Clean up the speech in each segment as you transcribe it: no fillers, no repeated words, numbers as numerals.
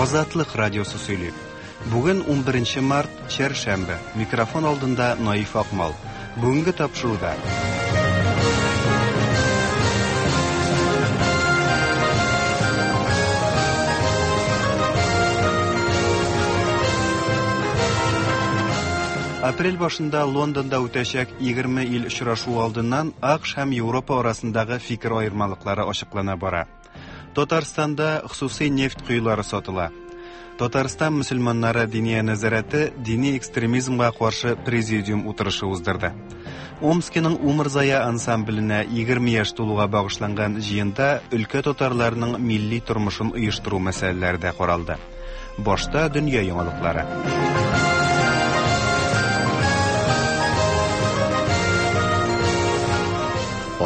Азатлык радиосы сөйли. Бүген 11 март, чәршәмбе. Микрофон алдында Наиф Акмал. Бүгенге тапшыруда Апрель башында Лондонда үтәчәк 20 ил очрашуы алдыннан АКШ һәм Европа арасындагы фикер аермалыклары ачыклана бара. Татарстанда хосусый нефть коелары сатыла. Татарстан мөселманнары диния нәзарәте дини экстремизмга каршы президиум утырышы уздырды. Омскиның Умырзая ансамбленә 20 яшь тулуга багышланган җыенда өлкә татарларының милли тормышын оештыру мәсьәләләре дә каралды. Башта дөнья яңалыклары.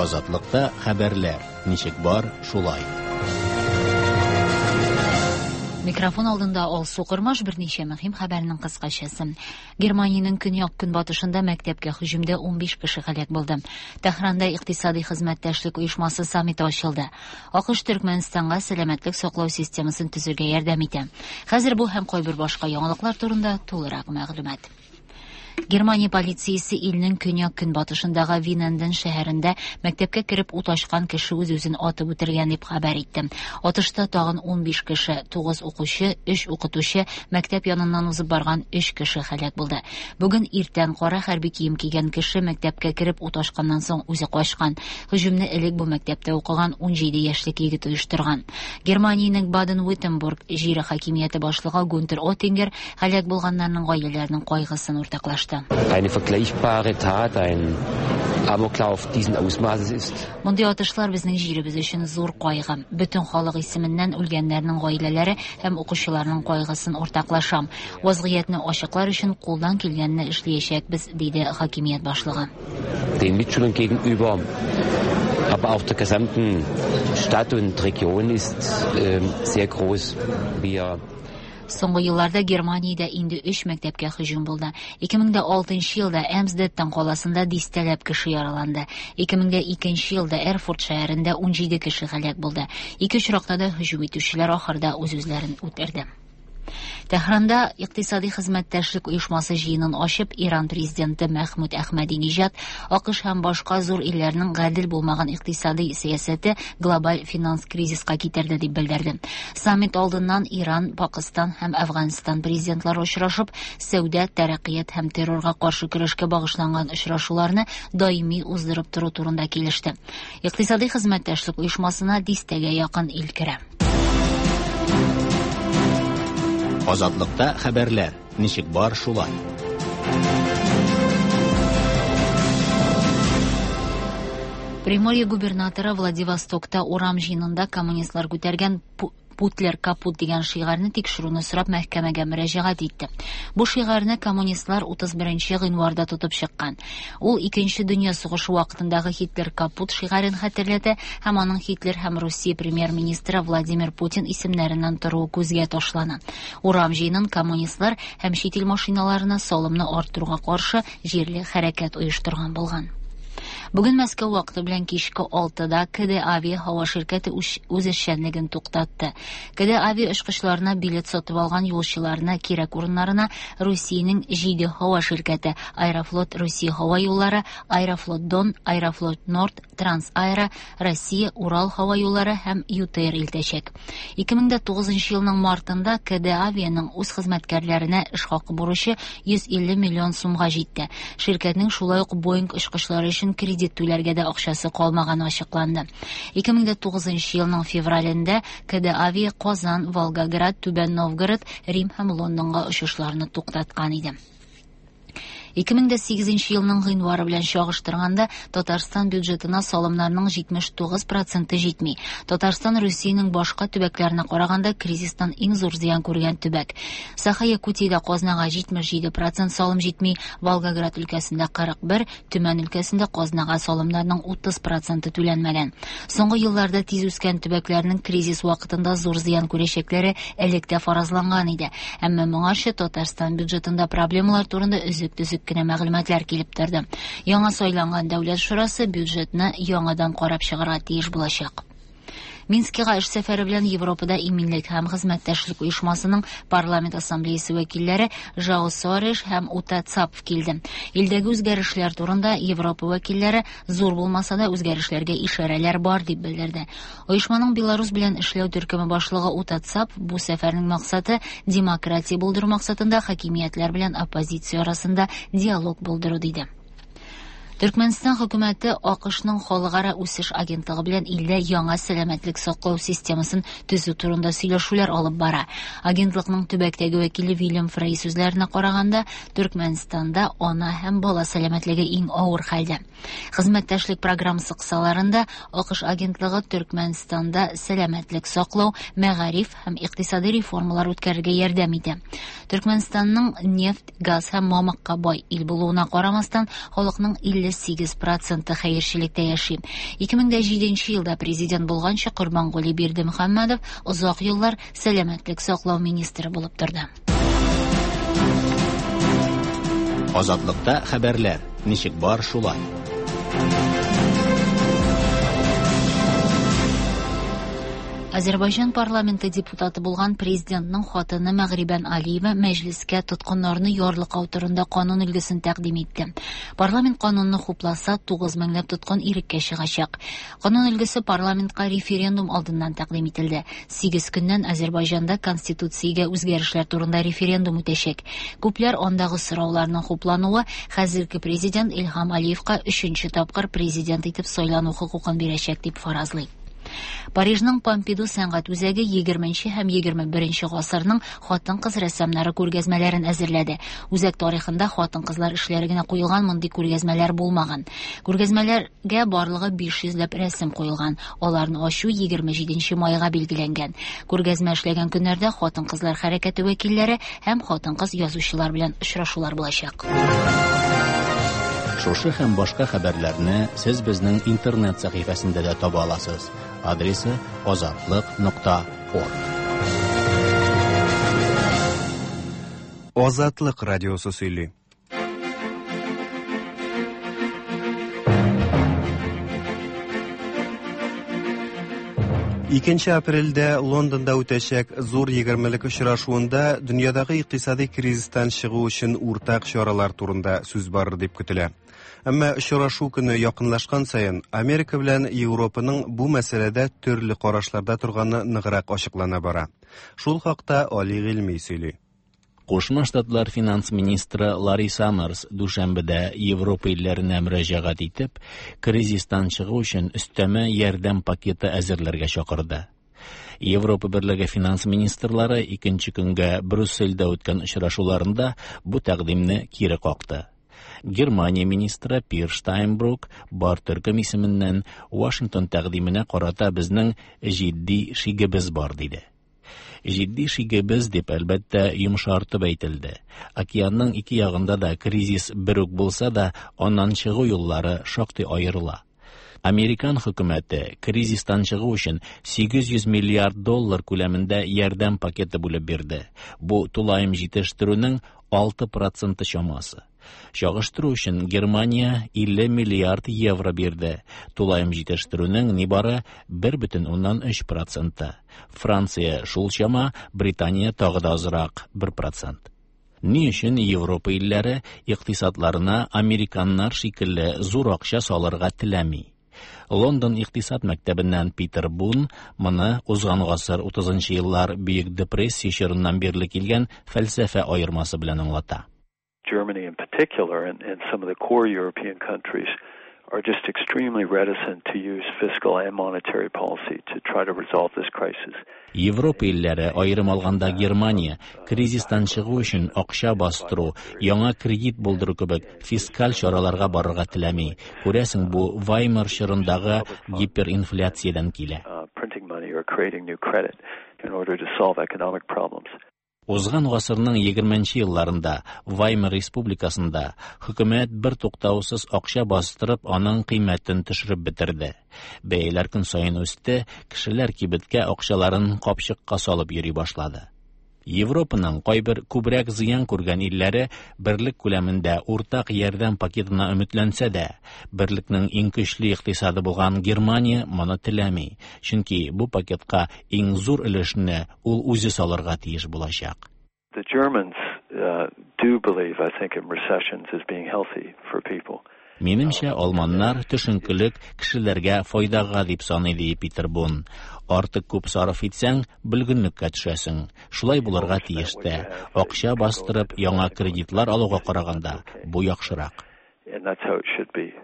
Азатлыкта хәбәрләр. Ничек бар, шулай. Микрофон алдында Алсу Кормаш берничә мөһим хәбәрнең кыскачасы. Германиянең көньяк-көнбатышында мәктәпкә һөҗүмдә 15 кеше һәлак булды. Тәһранда икътисади хезмәттәшлек оешмасы саммиты ачылды. АКШ Төркмәнстанга сәламәтлек саклау системасын төзергә ярдәм итә. Хәзер бу һәм кайбер башка яңалыклар турында тулырак мәгълүмат. Германия полициясе илнең көньяк-көнбатышындагы Виненден шәһәрендә мәктәпкә кереп ут ачкан кеше үз-үзен атып үтергән дип хәбәр итте. Атышта тагын 15 кеше, 9 укучы, 3 укытучы, мәктәп яныннан узып барган 3 кеше һәлак булды. Бүген иртән кара хәрби кием кигән кеше мәктәпкә кереп ут ачканнан соң үзе качкан. Һөҗүмне элек бу мәктәптә укыган 17 яшьлек егет оештырган. Германиянең Баден-Виттенбург җире хакимияте башлыгы Гунтер Оттингер һәлак булганнарның гаиләләренең кайгысын уртаклашты. Eine vergleichbare Tat, ein Amoklauf diesen Ausmaßes ist. Мондый атышлар безнең җиребез өчен зур кайгы. Бөтен халык исеменнән үлгәннәрнең гаиләләре һәм укучыларның кайгысын уртаклашам. Вазгыятьне ачыклар өчен кулдан килгәнне эшләячәкбез, диде хакимият башлыгы. Den Mitschülern gegenüber, aber auch der gesamten Stadt und Region ist sehr groß. Wir Соңгы елларда Германиядә инде өч мәктәпкә һөҗүм булды. 2006 елда Эмсдеттен каласында дистәләп кеше яраланды. 2002 елда Эрфурт шәһәрендә 17 кеше һәлак булды. Ике очракта да һөҗүм итүчеләр ахырда үз-үзләрен үтерде. Тәһранда икътисади хезмәттәшлек оешмасы җыенын ачып, Иран президенты Мәхмүд Әхмәдиниҗад АКШ һәм башка зур илләрнең гадел булмаган икътисади сәясәте глобаль финанс кризиска китерде дип белдерде. Саммит алдыннан Иран, Пакыстан һәм Әфганстан президентлары очрашып, сәүдә, тәрәккыят һәм террорга каршы көрәшкә багышланган очрашуларны даими уздырып тору турында килеште. Икътисади хезмәттәшлек оешмасына дистәгә якын ил керә. Азатлыкта хәбәрләр. Ничек бар, шулай. Приморье губернаторы Владивостокта урам җыенында коммунистлар күтәргән Путлер капут дигән шигарьне тикшерүне сорап мәхкәмәгә мөрәҗәгать итте. Бу шигарьне коммунистлар 31 гыйнварда тотып чыккан. Ул Икенче дөнья сугышы вакытындагы Һитлер капут шигарен хәтерләтә һәм аның Һитлер һәм Русия премьер-министры Владимир Путин исемнәреннән торуы күзгә ташлана. Урам җыенын коммунистлар һәм чит ил машиналарына салымны арттыруга каршы җирле хәрәкәт оештырган булган. Бүген Мәскәү вакыты белән кичке 6-да КД Авиа һава ширкәте үз эшчәнлеген туктатты. КД Авиа очкычларына билет сатып алган юлчыларны кирәк урыннарына Русиянең 7 һава ширкәте Аэрофлот Русия һава юллары, Аэрофлот Дон, Аэрофлот Норд, Трансаэро, Россия, Урал һава юллары һәм ЮТР илтәчәк. 2009 елның мартында КД Авианың үз хезмәткәрләренә эш хакы бурычы 150 миллион сумга җитте. Ширкәтнең шулай ук Боинг очкычлары өчен кредит түләргә дә акчасы калмаганы ачыкланды. 2009 елның февралендә КД Авиа Казан, Волгоград, Түбән Новгород, Рим һәм Лондонга очышларны туктаткан иде. 2008 елның гыйнвары белән чагыштырганда Татарстан бюджетына салымнарның 79 проценты җитми. Татарстан Русиянең башка төбәкләренә караганда кризистан иң зур зыян күргән төбәк. Саха-Якутиядә казнага 77 процент салым җитми, Волгоград өлкәсендә 41, Төмән өлкәсендә казнага салымнарның 30 проценты түләнмәгән. Соңгы елларда тиз үскән төбәкләрнең кризис вакытында зур зыян күрәчәкләре элек тә фаразланган иде. Әмма моңарчы Татарстан бюджетында проблемалар турында өзек-төзек кенә мәгълүматлар килеп торды. Яңа сайланган Дәүләт шурасы бюджетны яңадан карап чыгарга тиеш булачак. Минскига эш сәфәре белән Европада иминлек һәм хезмәттәшлек оешмасының парламент ассамблеясы вәкилләре Жао Соареш һәм Ута Цапф килде. Илдәге үзгәрешләр турында Европа вәкилләре зур булмаса да үзгәрешләргә ишарәләр бар дип белдерде. Оешманың Беларус белән эшләү төркеме башлыгы Ута Цапф бу сәфәрнең максаты демократия булдыру максатында хакимиятләр белән оппозиция арасында диалог булдыру диде. Төркмәнстан хөкүмәте АКШның халыкара үсеш агентлыгы белән илдә яңа сәламәтлек саклау системасын төзү турында сөйләшүләр алып бара. Агентлыкның төбәктәге вәкиле Вильям Фрей сүзләренә караганда, Төркмәнстанда ана һәм бала сәламәтлеге иң авыр хәлдә. Хезмәттәшлек программасы кысаларында АКШ агентлыгы Төркмәнстанда сәламәтлек саклау, мәгариф һәм икътисади реформалар үткәрергә ярдәм итә. Төркмәнстанның нефть, газ һәм мамыкка бай ил булуына карамастан, халыкның 58 проценты хәерчелектә яши. 2007 елда президент булганчы Корбангули Бердымөхәммәдов озак еллар сәламәтлек саклау министры булып торды. Азатлыкта хәбәрләр ничек бар шулай. Азербайҗан парламенты депутаты булган президентның хатыны Мәгърибән Алиева мәҗлескә тоткыннарны ярлыкау турында канун өлгесен тәкъдим итте. Парламент канунны хупласа, 9 меңләп тоткын иреккә чыгачак. Канун өлгесе парламентка референдум алдыннан тәкъдим ителде. 8 көннән Азербайҗанда конституциягә үзгәрешләр турында референдум үтәчәк. Күпләр андагы сорауларның хуплануы хәзерге президент Илһам Алиевка 3нче тапкыр президент итеп сайлану хокукын бирәчәк дип фаразлый. Парижның Помпиду сәнгать үзәге 20 һәм 21 гасырның хатын-кыз рәссамнары күргәзмәләрен әзерләде. Үзәк тарихында хатын-кызлар эшләре генә куелган мондый күргәзмәләр булмаган. Күргәзмәләргә барлыгы 500 ләп рәсем куелган. Аларны ачу 27 майга билгеләнгән. Күргәзмә эшләгән көннәрдә хатын-кызлар хәрәкәте вәкилләре һәм хатын-кыз язучылар белән очрашулар булачак. Шушы һәм башка хәбәрләрне сез безнең интернет сәхифәсендә дә таба аласыз. Адресы azatliq.org. Азатлык радиосы сөйли. Икенче апрельдә Лондонда үтәчәк зур егермелек очрашуында дөньядагы икътисади кризистан чыгу өчен уртак чаралар турында сүз барыр дип көтелә. Әмма очрашу көне якынлашкан саен Америка белән Европаның бу мәсьәләдә төрле карашларда торганы ныграк ачыклана бара. Шул хакта Али Гыйльми сөйли. Кушма Штатлар финанс министры Ларри Саммерс дүшәмбедә Европа илләренә мөрәҗәгать итеп, кризистан чыгу өчен өстәмә ярдәм пакеты әзерләргә чакырды. Европа Берлеге финанс министрлары икенче көнгә Брюссельдә үткән очрашуларында бу тәкъдимне кире какты. Германия министры Пир Штайнбрук бар төркем исеменнән Вашингтон тәкъдименә карата безнең җитди шигебез бар диде. Җитди шигебез дип әлбәттә йомшартып әйтелде. Океанның ике ягында да кризис бер үк булса да, аннан чыгу юллары шактый аерыла. Американ хөкүмәте кризистан чыгу өчен 800 миллиард доллар күләмендә ярдәм пакеты бүлеп бирде. Бу тулаем җитештерүнең 6% чамасы. Чагыштыру өчен Германия 50 миллиард евро бирде. Тулаем җитештерүнең нибары 1,3%. Франция шул чама, Британия тагы да азрак 1%. Ни өчен Европа илләре икътисадларына американнар шикелле зур акча салырга теләми? Лондон икътисад мәктәбеннән Питер Бун моны узган гасыр 30 еллар Бөек депрессия чорыннан бирле килгән фәлсәфә аермасы белән аңлата. Germany in particular and some of the core European countries are just extremely reticent to use fiscal and monetary policy to try to resolve this crisis. Европа илләре, аерым алганда Германия, кризистан чыгу өчен акча бастыру, яңа кредит булдыру кебек фискаль чараларга барырга теләми. Күрәсең, бу Ваймар чорындагы гиперинфляциядән килә. Printing money or creating new credit in order to solve economic problems. Узган гасырның 20 елларында Ваймар республикасында хөкүмәт бер туктаусыз акча бастырып, аның кыйммәтен төшереп бетерде. Бәяләр көн саен үсте, кешеләр кибеткә акчаларын капчыкка салып йөри башлады. Европаның кайбер күбрәк зыян күргән илләре берлек күләмендә уртак ярдәм пакетына өметләнсә дә, берлекнең иң көчле икътисады булган Германия моны теләми, чөнки бу пакетка иң зур өлешне ул үзе салырга тиеш булачак. The Germans do believe, I think, in recessions as being healthy for people. Минемчә, алманнар төшенкелек кешеләргә файдага дип саный, ди Питер Бун. Артык күп сарыф итсәң, бөлгенлеккә төшәсең. Шулай булырга тиеш тә. Акча бастырып, яңа кредитлар алуга караганда, бу яхшырак. And that's how it should be,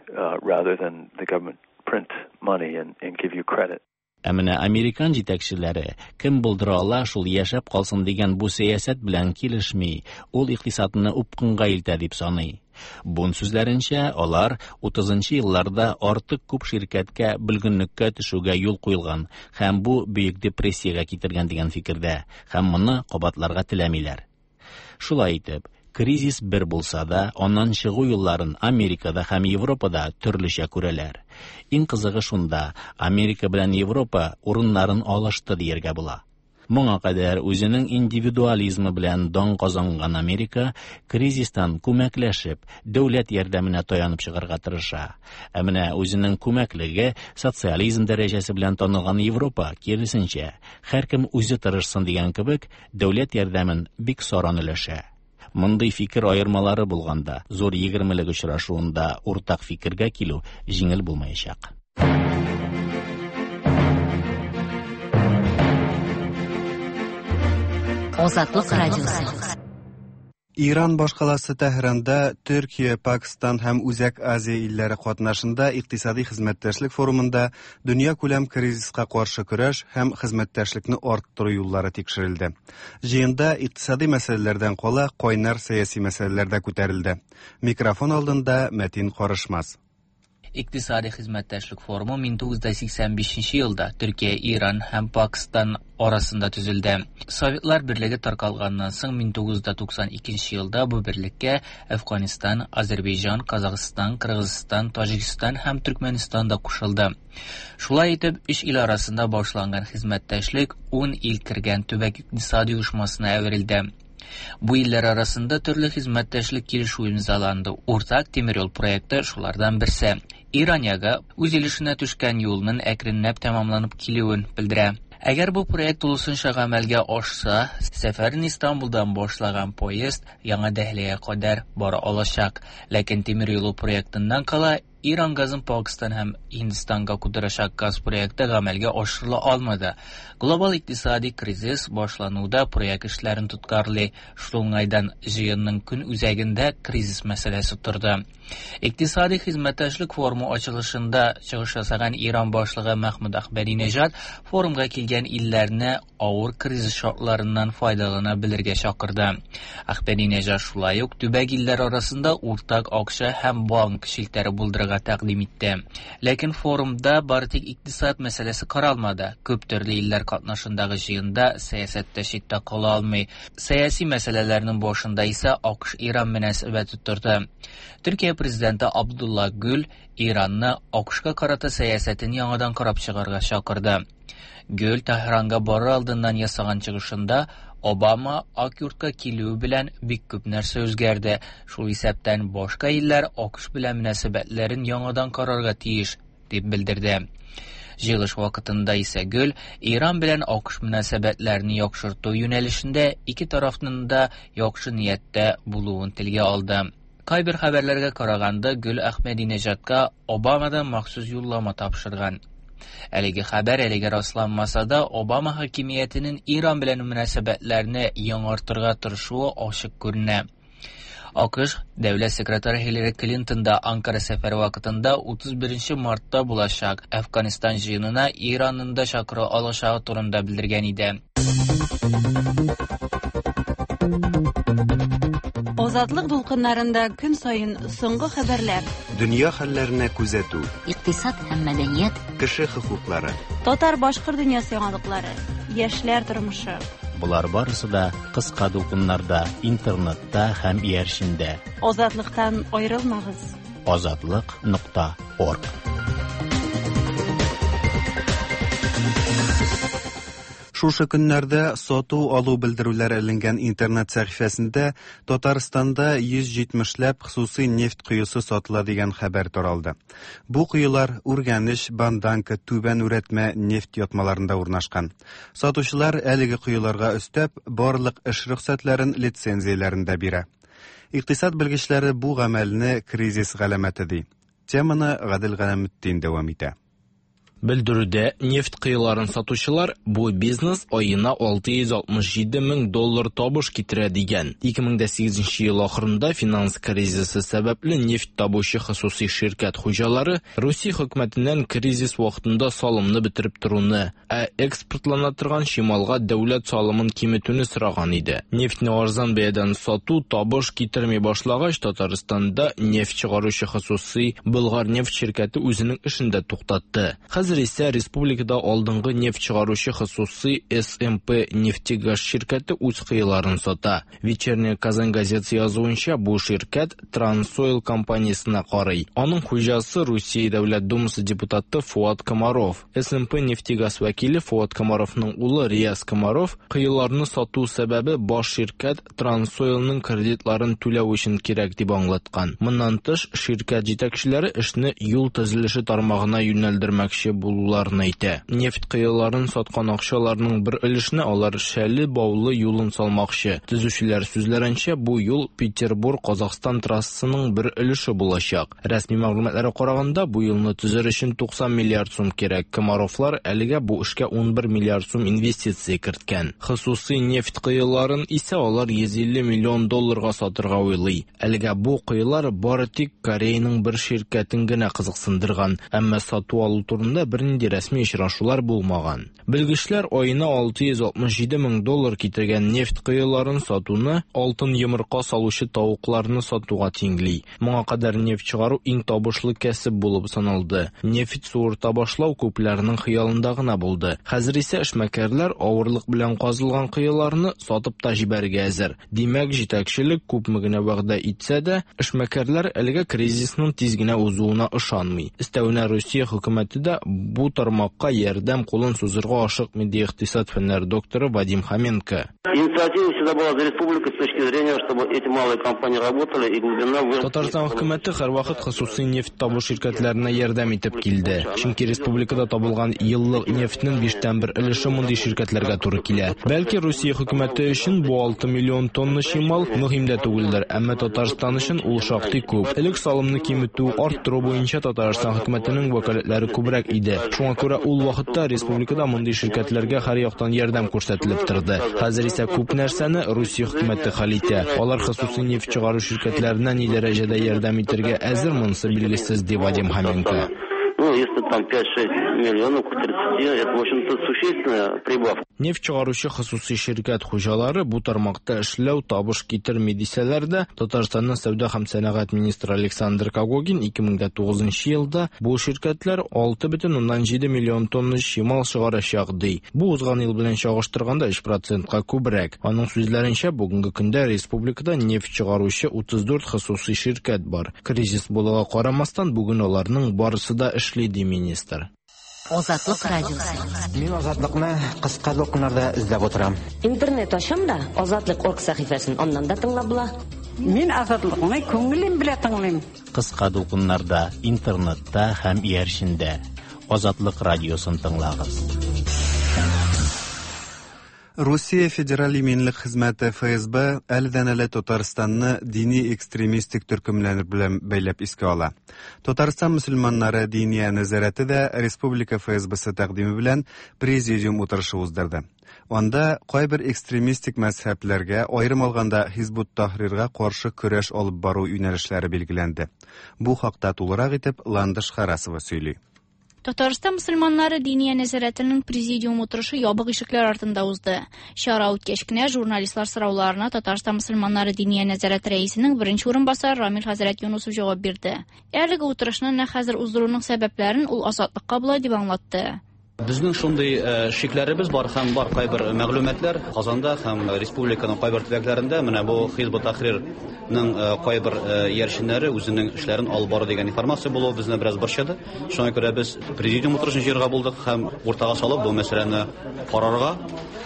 rather than the government print money and give you credit. Ә менә американ җитәкчеләре кем булдыра ала, шул яшәп калсын дигән бу сәясәт белән килешми, ул икътисадны упкынга илтә дип саный. Бун сүзләренчә, алар 30 елларда артык күп ширкәткә бөлгенлеккә төшүгә юл куелган һәм бу бөек депрессиягә китергән дигән фикердә, һәм моны кабатларга теләмиләр. Шулай итеп, кризис бер булса да, аннан чыгу юлларын Америкада һәм Европада төрлечә күрәләр. Иң кызыгы шунда, Америка белән Европа урыннарын алышты дияргә була. Моңа кадәр үзенең индивидуализмы белән дан казанган Америка кризистан күмәкләшеп, дәүләт ярдәменә таянып чыгарга тырыша. Ә менә үзенең күмәклеге, социализм дәрәҗәсе белән танылган Европа, киресенчә, һәркем үзе тырышсын дигән кебек, дәүләт ярдәмен бик саран өләшә. Мондый фикер аермалары булганда, зур егермелек очрашуында уртак фикергә килү җиңел булмаячак. Азатлык радиосы. Иран башкаласы Тәһранда Төркия, Пакстан һәм Үзәк Азия илләре катнашында икътисади хезмәттәшлек форумында дөньякүләм кризиска каршы көрәш һәм хезмәттәшлекне арттыру юллары тикшерелде. Җыенда икътисади мәсьәләләрдән кала кайнар сәяси мәсьәләләр дә күтәрелде. Микрофон алдында Мәтин Карышмас. İqtisadi Xidmətdaşlıq Forumu 1985 yılda Türkiyə, İran həm Pakistan arasında tüzüldü. Sovetlər Birliyi tarqalğandan soң 1992 yılda bu birlikə Əfqanistan, Azərbaycan, Qazaxıstan, Qırğızistan, Tacikistan həm Türkmənistan da qoşuldu. Şulay etib 3 il arasında başlanğan xidmətdaşlıq 10 il kirgən Tübək İqtisadi Uyuşmasına əvrildi. Bu iller arasında türlü xidmətdaşlıq kelişüvi imzalandı. Ortaq temir yol proyekti şulardan birisi. İraniyaga үз өлешенә төшкән юлның әкренләп тәмамланып килүен белдерә. Әгәр бу проект тулысынча гамәлгә ашса, сәфәрен Истанбулдан башлаган поезд Яңа Дәһлигә кадәр бара алачак. Ләкин темир юлы проектыннан кала Иран газын Пакистан һәм Һиндстанга кудырачак газ проекты гамәлгә ашырыла алмады. Глобал икътисади кризис башлануда проект эшләрен тоткарлый. Шул уңайдан җыенның көн үзәгендә кризис мәсьәләсе торды. Икътисади хезмәттәшлек форумы ачылышында чыгыш ясаган Иран башлыгы Мәхмүд Әхмәдинежад форумга килгән илләрне авыр кризис шартларыннан файдалана белергә чакырды. Әхмәдинежад шулай ук төбәк илләр арасында уртак акча һәм банк челтәре булдырырга тәкъдим итте. Ләкин форумда бары тик икътисад мәсьәләсе каралмады. Күп төрле илләр катнашындагы җыенда сәясәт тә читтә кала алмый. Сәяси мәсьәләләрнең башында исә АКШ-Иран мөнәсәбәте торды. Төркия президенты Абдулла Гүл Иранны АКШка карата сәясәтен яңадан карап чыгарга чакырды. Гүл Тәһранга барыр алдыннан ясаган чыгышында Обама Ак йортка килүе белән бик күп нәрсә үзгәрде. Шул исәптән башка илләр АКШ белән мөнәсәбәтләрен яңадан карарга тиеш, дип белдерде. Җыелыш вакытында исә Гүл Иран белән АКШ мөнәсәбәтләрен яхшырту юнәлешендә ике тарафның да яхшы нияттә булуын телгә алды. Кайбер хәбәрләргә караганда, Гүл Әхмәдинежадка Обамадан махсус юллама тапшырган. Әлеге хәбәр әлегә расланмаса да, Обама хакимиятенең Иран белән мөнәсәбәтләрне яңартырга тырышуы ачык күренә. АКШ дәүләт секретаре Хиллари Клинтон да Анкара сәфәре вакытында 31 мартта булачак Әфганистан җыенына Иранның да чакыру алачагы турында белдергән иде. Азатлык дулкыннарында көн саен соңгы хәбәрләр, Дөнья хәлләренә күзәтү, Икътисад һәм мәдәният, кеше хокуклары, татар-башкорт дөньясы яңалыклары, яшьләр тормышы. Болар барысы да кыска дулкыннарда, интернетта һәм иярчендә. Азатлыктан аерылмагыз. Азатлык.org. Шушы көннәрдә сату-алу белдерүләре эленгән интернет сәхифәсендә Татарстанда 170 ләп хосусый нефть коесы сатыла дигән хәбәр таралды. Бу коелар Үргәнеч, Банданка, Түбән Үрәтмә нефть ятмаларында урнашкан. Сатучылар әлеге коеларга өстәп, барлык эш рөхсәтләрен, лицензияләрен дә бирә. Икътисад белгечләре бу гамәлне кризис галәмәте ди. Теманы Гадел Галәметдин дәвам итә. Белдерүдә нефть коеларын сатучылар бу бизнес аена 667 мең доллар табыш китерә дигән. 2008 ел ахырында финанс кризисы сәбәпле нефть табучы хосусый ширкәт хуҗалары Русия хөкүмәтеннән кризис вакытында салымны бетереп торуны, ә экспортлана торган чималга дәүләт салымын киметүне сораган иде. Нефтьне арзан бәядән сату табыш китерми башлагач, Татарстанда нефть чыгаручы хосусый Болгар нефть ширкәте үзенең эшен дә туктатты. Хәзер исә республикада алдынгы нефть чыгаручы хосусый СМП нефтегаз ширкәте үз кыеларын сата. Вечерняя Казань газетасы язуынча, бу ширкәт Трансойл компаниясенә карый. Аның хуҗасы Русия Дәүләт Думасы депутаты Фуат Комаров. СМП нефтегаз вәкиле Фуат Комаровның улы Рияз Комаров кыеларны сату сәбәбе баш ширкәт Трансойлның кредитларын түләү өчен кирәк дип аңлаткан. Моннан тыш, ширкәт җитәкчеләре эшне юл төзелеше тармагына юнәлдермәкче булуларын әйтә. Нефть кыеларын саткан акчаларның бер өлешенә алар Шәле Баулы юлын салмакчы. Төзүчеләр сүзләренчә, бу юл Петербур-Казахстан трассасының бер өлеше булачак. Рәсми мәгълүматларга караганда, бу юлны төзер өчен 90 миллиард сум кирәк. Комаровлар әлегә бу эшкә 11 миллиард сум инвестиция керткән. Хосусый нефть коеларын исә алар 150 миллион долларга сатырга уйлый. Әлегә бу коелар бары тик Кореяның бер ширкәтен генә кызыксындырган, әмма сату-алу турында бернинди рәсми очрашулар булмаган. Белгечләр аена 667 мең доллар китергән нефть коеларын сатуны алтын йомырка салучы тавыкларны сатуга тиңли. Моңа кадәр нефть чыгару иң табышлы кәсеп булып саналды. Нефть суырта башлау күпләрнең хыялында гына булды. Хәзер исә эшмәкәрләр авырлык белән казылган коеларны сатып та җибәрергә әзер. Димәк, җитәкчелек күпме генә вәгъдә итсә дә, эшмәкәрләр әлегә кризисның тиз генә узуына ышанмый. Өстәвенә Русия хөкүмәте дә бу тармакка ярдәм кулын сузырга ашыкмый, ди икътисад фәннәре докторы Вадим Хоменко. Инициатива всегда была за республикой с точки зрения, чтобы эти малые компании работали и глубина выработки. Татарстан хөкүмәте һәрвакыт хосусый нефть табу ширкәтләренә ярдәм итеп килде. Чөнки республикада табылган еллык нефтьнең биштән бер өлеше мондый ширкәтләргә туры килә. Бәлки Русия хөкүмәте өчен бу 6 миллион тонна чимал мөһим дә түгелдер, әмма Татарстан өчен ул шактый күп. Элек салымны киметү, арттыру буенча Татарстан хөкүмәтенең вәкаләтләре күбрәк иде. Шуңа күрә ул вакытта республикада мондый ширкәтләргә һәр яктан ярдәм күрсәтелеп торды. Хәзер исә күп нәрсәне Русия хөкүмәте хәл итә. Алар хосусый нефть чыгару ширкәтләренә ни дәрәҗәдә ярдәм итәргә әзер, монысы билгесез, ди Вадим Хоменко. Ну, если там 5-6 миллионов к 30, это, в общем-то, существенная прибавка. Нефть чыгаручы хосусый ширкәт хуҗалары бу тармакта эшләү табыш китерми дисәләр дә, Татарстанның сәүдә һәм сәнәгать министры Александр Когогин 2009 елда бу ширкәтләр 6,7 миллион тонна чимал чыгарачак ди. Бу узган ел белән чагыштырганда 3%ка күбрәк. Аның сүзләренчә, бүгенге көндә республикада нефть чыгаручы 34 хосусый ширкәт бар. Кризис булуга карамастан, бүген аларның барысы да эшли, ди министр. Азатлык радиосы. Мин Азатлыкны кыска дулкыннарда эзләп утырам. Интернет ачам да, Азатлык.орг сәхифәсен аннан да тыңлап була. Мин Азатлыкны күңелем белән тыңлыйм. Кыска дулкыннарда, интернетта һәм иярчендә. Азатлык радиосын тыңлагыз. Русия Федераль иминлек хезмәте ФСБ әледән-әле Татарстанны дини экстремистик төркемнәр белән бәйләп искә ала. Татарстан мөселманнары диния нәзарәте дә республика ФСБсы тәкъдиме белән президиум утырышы уздырды. Анда кайбер экстремистик мәзһәбләргә, аерым алганда Хизбут Тахрирга каршы көрәш алып бару юнәлешләре билгеләнде. Бу хакта тулырак итеп Ландыш Харасова сөйли. Татарстан мөселманнары диния нәзарәтенең президиум утырышы ябык ишекләр артында узды. Чара үткәч кенә журналистлар сорауларына Татарстан мөселманнары диния нәзарәте рәисенең беренче урынбасары Рамил хәзрәт Юнусов җавап бирде. Әлеге утырышны нәкъ хәзер уздыруның сәбәпләрен ул Азатлыкка болай дип аңлатты. Безнең шундый шикләребез бар һәм бар кайбер мәгълүматлар Казанда һәм республиканың кайбер төбәкләрендә менә бу Хизб ут-Тахрирның кайбер иярченнәре үзенең эшләрен алып бара дигән информация булуы безне бераз борчыды. Шуңа күрә без президиум утырышын җыярга булдык һәм уртага салып бу мәсьәләне карарга,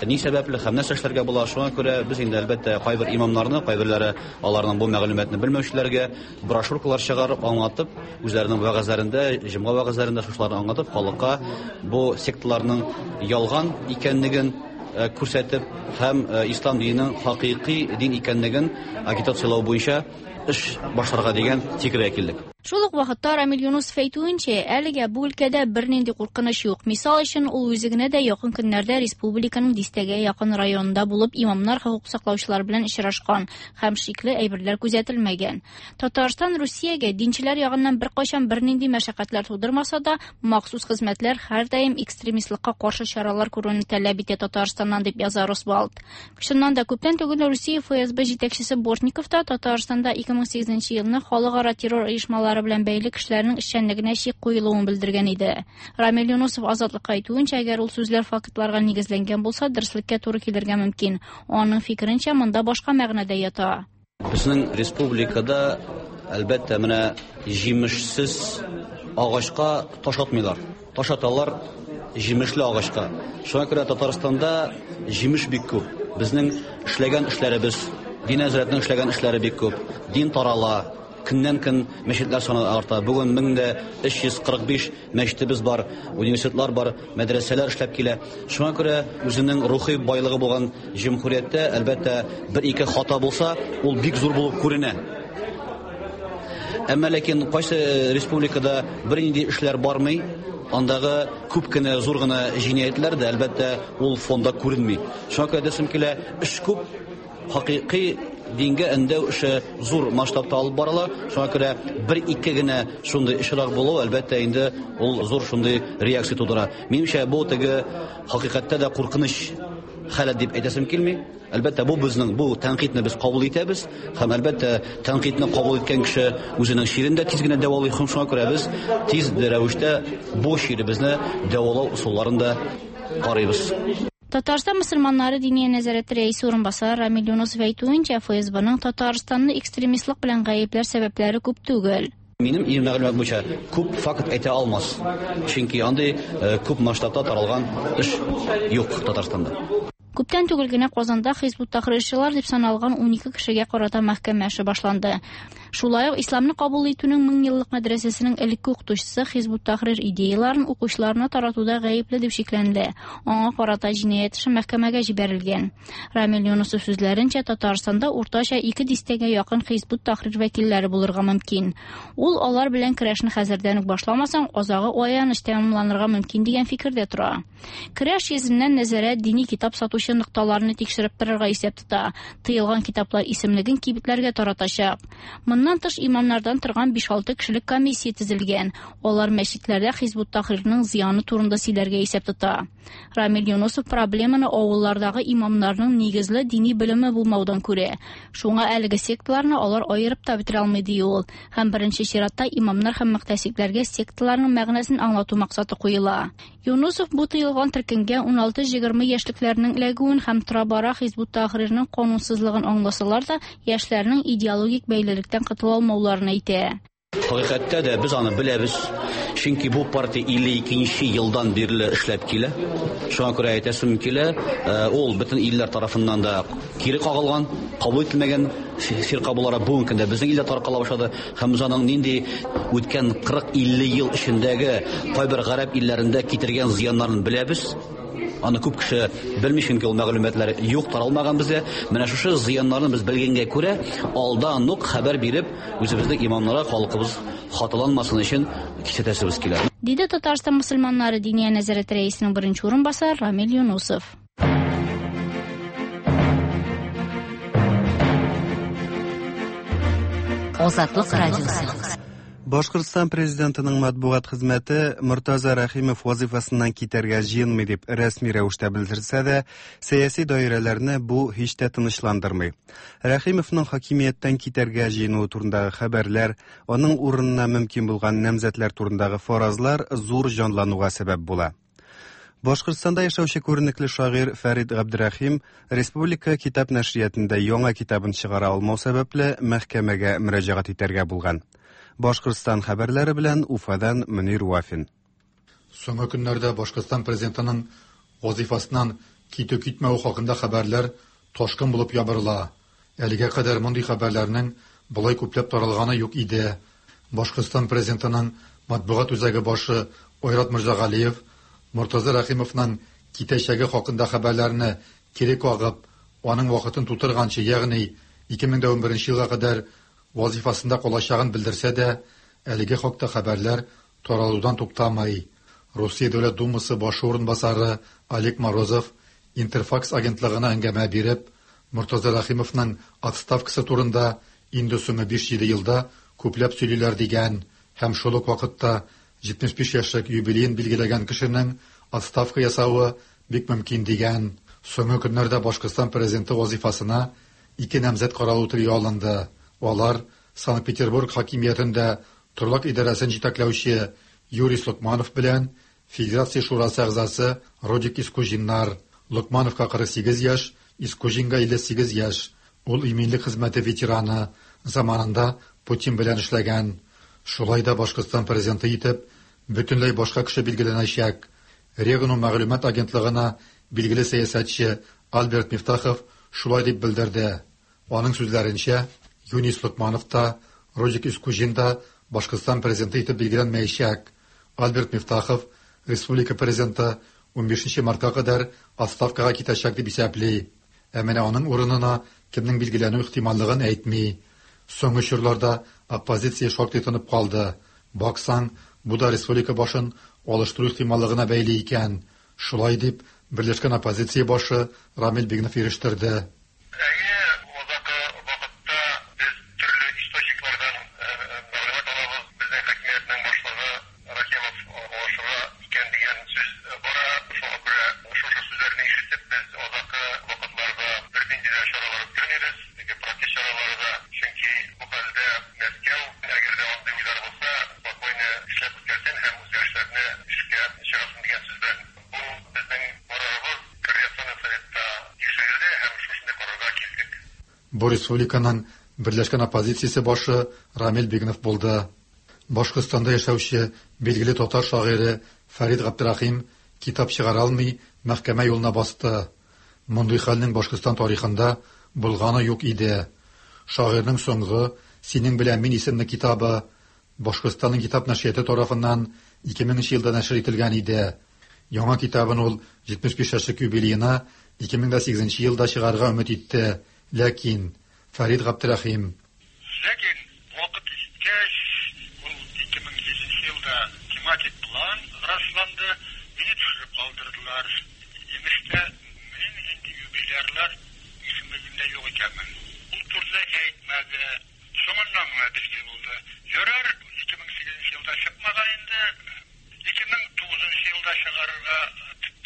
ни сәбәпле һәм нәрсә эшләргә була. Шуңа күрә без инде әлбәттә кайбер имамнарны, кайберләре аларның бу мәгълүматны белмәүчеләргә брошюркалар чыгарып, аңлатып, үзләренең вәгазьләрендә, җомга вәгазьләрендә шушыларны аңлатып, халыкка бу секталарның ялган икәнлеген күрсәтеп һәм ислам диненең хакыйкый дин икәнлеген агитацияләү буенча эш башларга дигән фикергә килдек. Шул ук вакытта Рамил Юнусов әйтүенчә, әлегә бу өлкәдә бернинди куркыныч юк. Мисал өчен, ул үзе генә дә якын көннәрдә республиканың дистәгә якын районында булып, имамнар, хокук саклаучылар белән очрашкан һәм шикле әйберләр күзәтелмәгән. Татарстан Русиягә динчеләр ягыннан беркайчан бернинди мәшәкатьләр тудырмаса да, махсус хезмәтләр һәрдаим экстремистлыкка каршы чаралар күрүне таләп итә Татарстаннан, дип яза Росбалт. Чыннан да, күптән түгел Русия ФСБ җитәкчесе Бортников та Татарстанда 2008 елны халыкара террор оешмалары белән бәйле кешеләрнең эшчәнлегенә чик куелуын белдергән иде. Рамил Юнусов Азатлыкка әйтүенчә, әгәр ул сүзләр фактларга нигезләнгән булса, дөреслеккә туры килергә мөмкин. Аның фикеренчә, монда башка мәгънә дә ята. Безнең республикада, әлбәттә, менә җимешсез агачка таш атмыйлар. Таш аталар җимешле агачка. Шуңа күрә Татарстанда җимеш бик күп. Безнең эшләгән эшләребез, дин нәзарәтенең эшләгән эшләре бик күп. Дин тарала, көннән-көн мәчетләр саны арта. Бүген 1345 мәчетебез бар, университетлар бар, мәдрәсәләр эшләп килә. Шуңа күрә үзенең рухи байлыгы булган җөмһүрияттә, әлбәттә, бер-ике хата булса, ул бик зур булып күренә. Әмма ләкин кайсы республикада бернинди эшләр бармый, андагы күп кенә зур гына җинаятьләр дә, әлбәттә, ул фонда күренми. Шуңа күрә әйтәсем килә, эш күп, хакыйкый дингә өндәү эше зур масштабта алып барыла. Шуңа күрә бер-ике генә шундый очрак булу, әлбәттә, инде ул зур шундый реакция тудыра. Минемчә, бу теге хакыйкатьтә дә куркыныч халәт дип әйтәсем килми. Әлбәттә, бу безнең, бу тәнкыйтьне без кабул итәбез һәм, әлбәттә, тәнкыйтьне кабул иткән кеше үзенең чирен дә тиз генә дәвалый. Һәм шуңа күрә без тиз рәвештә бу чиребезне дәвалау ысулларын да карыйбыз. Татарстан мөселманнары Диния нәзарәте рәисе урынбасары Рамил Юнусов әйтүенчә, ФСБның Татарстанны экстремистлык белән гаепләр сәбәпләре күп түгел. Минем мәгълүмат буенча күп факт әйтә алмас. Чөнки андый күп масштабта таралган эш юк Татарстанда. Күптән түгел генә Казанда Хизб ут-Тахрирчылар дип саналган 12 кешегә карата мәхкәмә эше башланды. Шулай ук исламны кабул итүнең меңьеллык мәдрәсәсенең элекке укытучысы Хизб ут-Тахрир идеяларын укучыларына таратуда гаепле дип шикләнелә. Аңа карата җинаять эше мәхкәмәгә җибәрелгән. Рамил Юнусов сүзләренчә, Татарстанда уртача 2 дистәгә якын Хизб ут-Тахрир вәкилләре булырга мөмкин. Ул алар белән көрәшне хәзердән үк башламасаң, азагы аяныч тәмамланырга мөмкин дигән фикердә тора. Көрәш йөзеннән нәзарәт дини китап сатучы нокталарны тикшереп торырга исәп тота. Тыелган китаплар исемлеген кибетләргә таратачак. Моннан тыш имамнардан торган 5-6 кешелек комиссия төзелгән. Алар мәчетләрдә Хизб ут-Тахрирның зыяны турында сөйләргә исәп тота. Рамил Юнусов проблеманы авыллардагы имамнарның нигезле дини белеме булмаудан күрә. Шуңа әлеге секталарны алар аерып та бетерә алмый, ди ул. Һәм беренче чиратта имамнар һәм мөхтәсибләргә секталарның мәгънәсен аңлату максаты куела. Юнусов бу тыелган төркемгә 16-20 яшьлекләрнең эләгүен һәм тора-бара Хизб ут-Тахрирның канунсызлыгын аңласалар да, яшьләрнең идеологик бәйлелектән котыла алмауларын әйтә. Хакыйкатьтә дә без аны беләбез, чөнки бу партия 52 елдан бирле эшләп килә. Шуңа күрә әйтәсем килә, ул бөтен илләр тарафыннан да кире кагылган, кабул ителмәгән фирка буларак бүгенге көндә безнең илдә таркала башлады. Һәм без аның нинди үткән 40-50 ел эчендәге кайбер гарәп илләрендә китергән зыяннарын беләбез. Аны күп кеше белми, чөнки ул мәгълүматлар юк, таралмаган безгә. Менә шушы зыяннарны без белгәнгә күрә, алдан ук хәбәр биреп, үзебезнең имамнарга халкыбыз хаталанмасын өчен кисәтәсебез килә. Диде Татарстан мөселманнары Диния нәзарәте рәисенең беренче урынбасары Рамил Юнусов. Азатлык радиосы. Башкортстан президентының матбугат хезмәте Мортаза Рәхимов вазифасыннан китәргә җыенмый дип рәсми рәвештә белдерсә дә, сәяси даирәләрне бу һич тә тынычландырмый. Рәхимовның хакимияттән китәргә җыенуы турындагы хәбәрләр, аның урынына мөмкин булган намзәтләр турындагы фаразлар зур җанлануга сәбәп була. Башкортстанда яшәүче күренекле шагыйрь Фәрид Габдрәхим республика китап нәшриятында яңа китабын чыгара алмау сәбәпле мәхкәмәгә мөрәҗәгать итәргә булган. Башкортстан хәбәрләре белән Уфадан Мөнир Вафин. Соңгы көннәрдә Башкортстан президентының вазифасыннан китү-китмәве хакында хәбәрләр ташкын булып ябырыла. Әлегә кадәр мондый хәбәрләрнең болай күпләп таралганы юк иде. Башкортстан президентының матбугат үзәге башы Айрат Мирзагалиев Мортаза Рәхимовның китәчәге хакында хәбәрләрне кире кагып, аның вакытын тутырганчы, ягъни 2011 елга кадәр вазифасында калачагын белдерсә дә, әлеге хакта хәбәрләр таралудан туктамый. Русия Дәүләт Думасы башы урынбасары Олег Морозов Интерфакс агентлыгына әңгәмә биреп, Мортаза Рәхимовның отставкасы турында инде соңгы 5-7 елда күпләп сөйлиләр дигән һәм шул ук вакытта 75 яшьлек юбилеен билгеләгән кешенең отставка ясавы бик мөмкин дигән. Соңгы көннәрдә Башкортстан президенты вазифасына ике намзәт каралу телгә алынды. Алар Санкт-Петербург хакимиятендә торлак идарәсен җитәкләүче Юрий Локманов белән Федерация шурасы әгъзасы Родик Искуҗиннар. Локмановка 48 яшь, Искуҗинга 58 яшь. Ул иминлек хезмәте ветераны, заманында Путин белән эшләгән. Шулай да Башкортстан президенты итеп бөтенләй башка кеше билгеләнәчәк. Регнум мәгълүмат агентлыгына билгеле сәясәтче Альберт Мифтахов шулай дип белдерде. Аның сүзләренчә, Юнис Локманов та, Родик Искуҗин да Башкортстан президенты итеп билгеләнмәячәк. Альберт Мифтахов республика президенты 15 мартка кадәр отставкага китәчәк дип исәпли. Ә менә аның урынына кемнең билгеләнү ихтималлыгын әйтми. Соңгы чорларда оппозиция шактый тынып калды. Баксаң, бу да республика башын алыштыру ихтималлыгына бәйле икән. Шулай дип, берләшкән оппозиция башы Рамил Бигнов ирештерде. Бу республиканың берләшкән оппозициясе башы Рамил Бигнов булды. Башкортстанда яшәүче билгеле татар шагыйре Фәрид Габдрәхим китап чыгара алмый, мәхкәмә юлына басты. Мондый хәлнең Башкортстан тарихында булганы юк иде. Шагыйрьнең соңгы «Синең белән мин» исемле китабы Башкортстанның китап нәшрияты тарафыннан 2000 елда нәшер ителгән иде. Яңа китабын ул 75 яшьлек юбилеена 2008 елда чыгарырга өмет итте. Ләкин Фәрид Габдрәхим Ләкин вакыт җиткәч, ул 2007 елда тематик план расланды, мине төшереп калдырдылар. Имеш тә, мин инде юбилярлар исемлегендә юк икәнмен. Ул турыда әйтмәде. Соңыннан гына билгеле булды. Ярар, 2008 елда чыкмаган инде, 2009 елда чыгарырга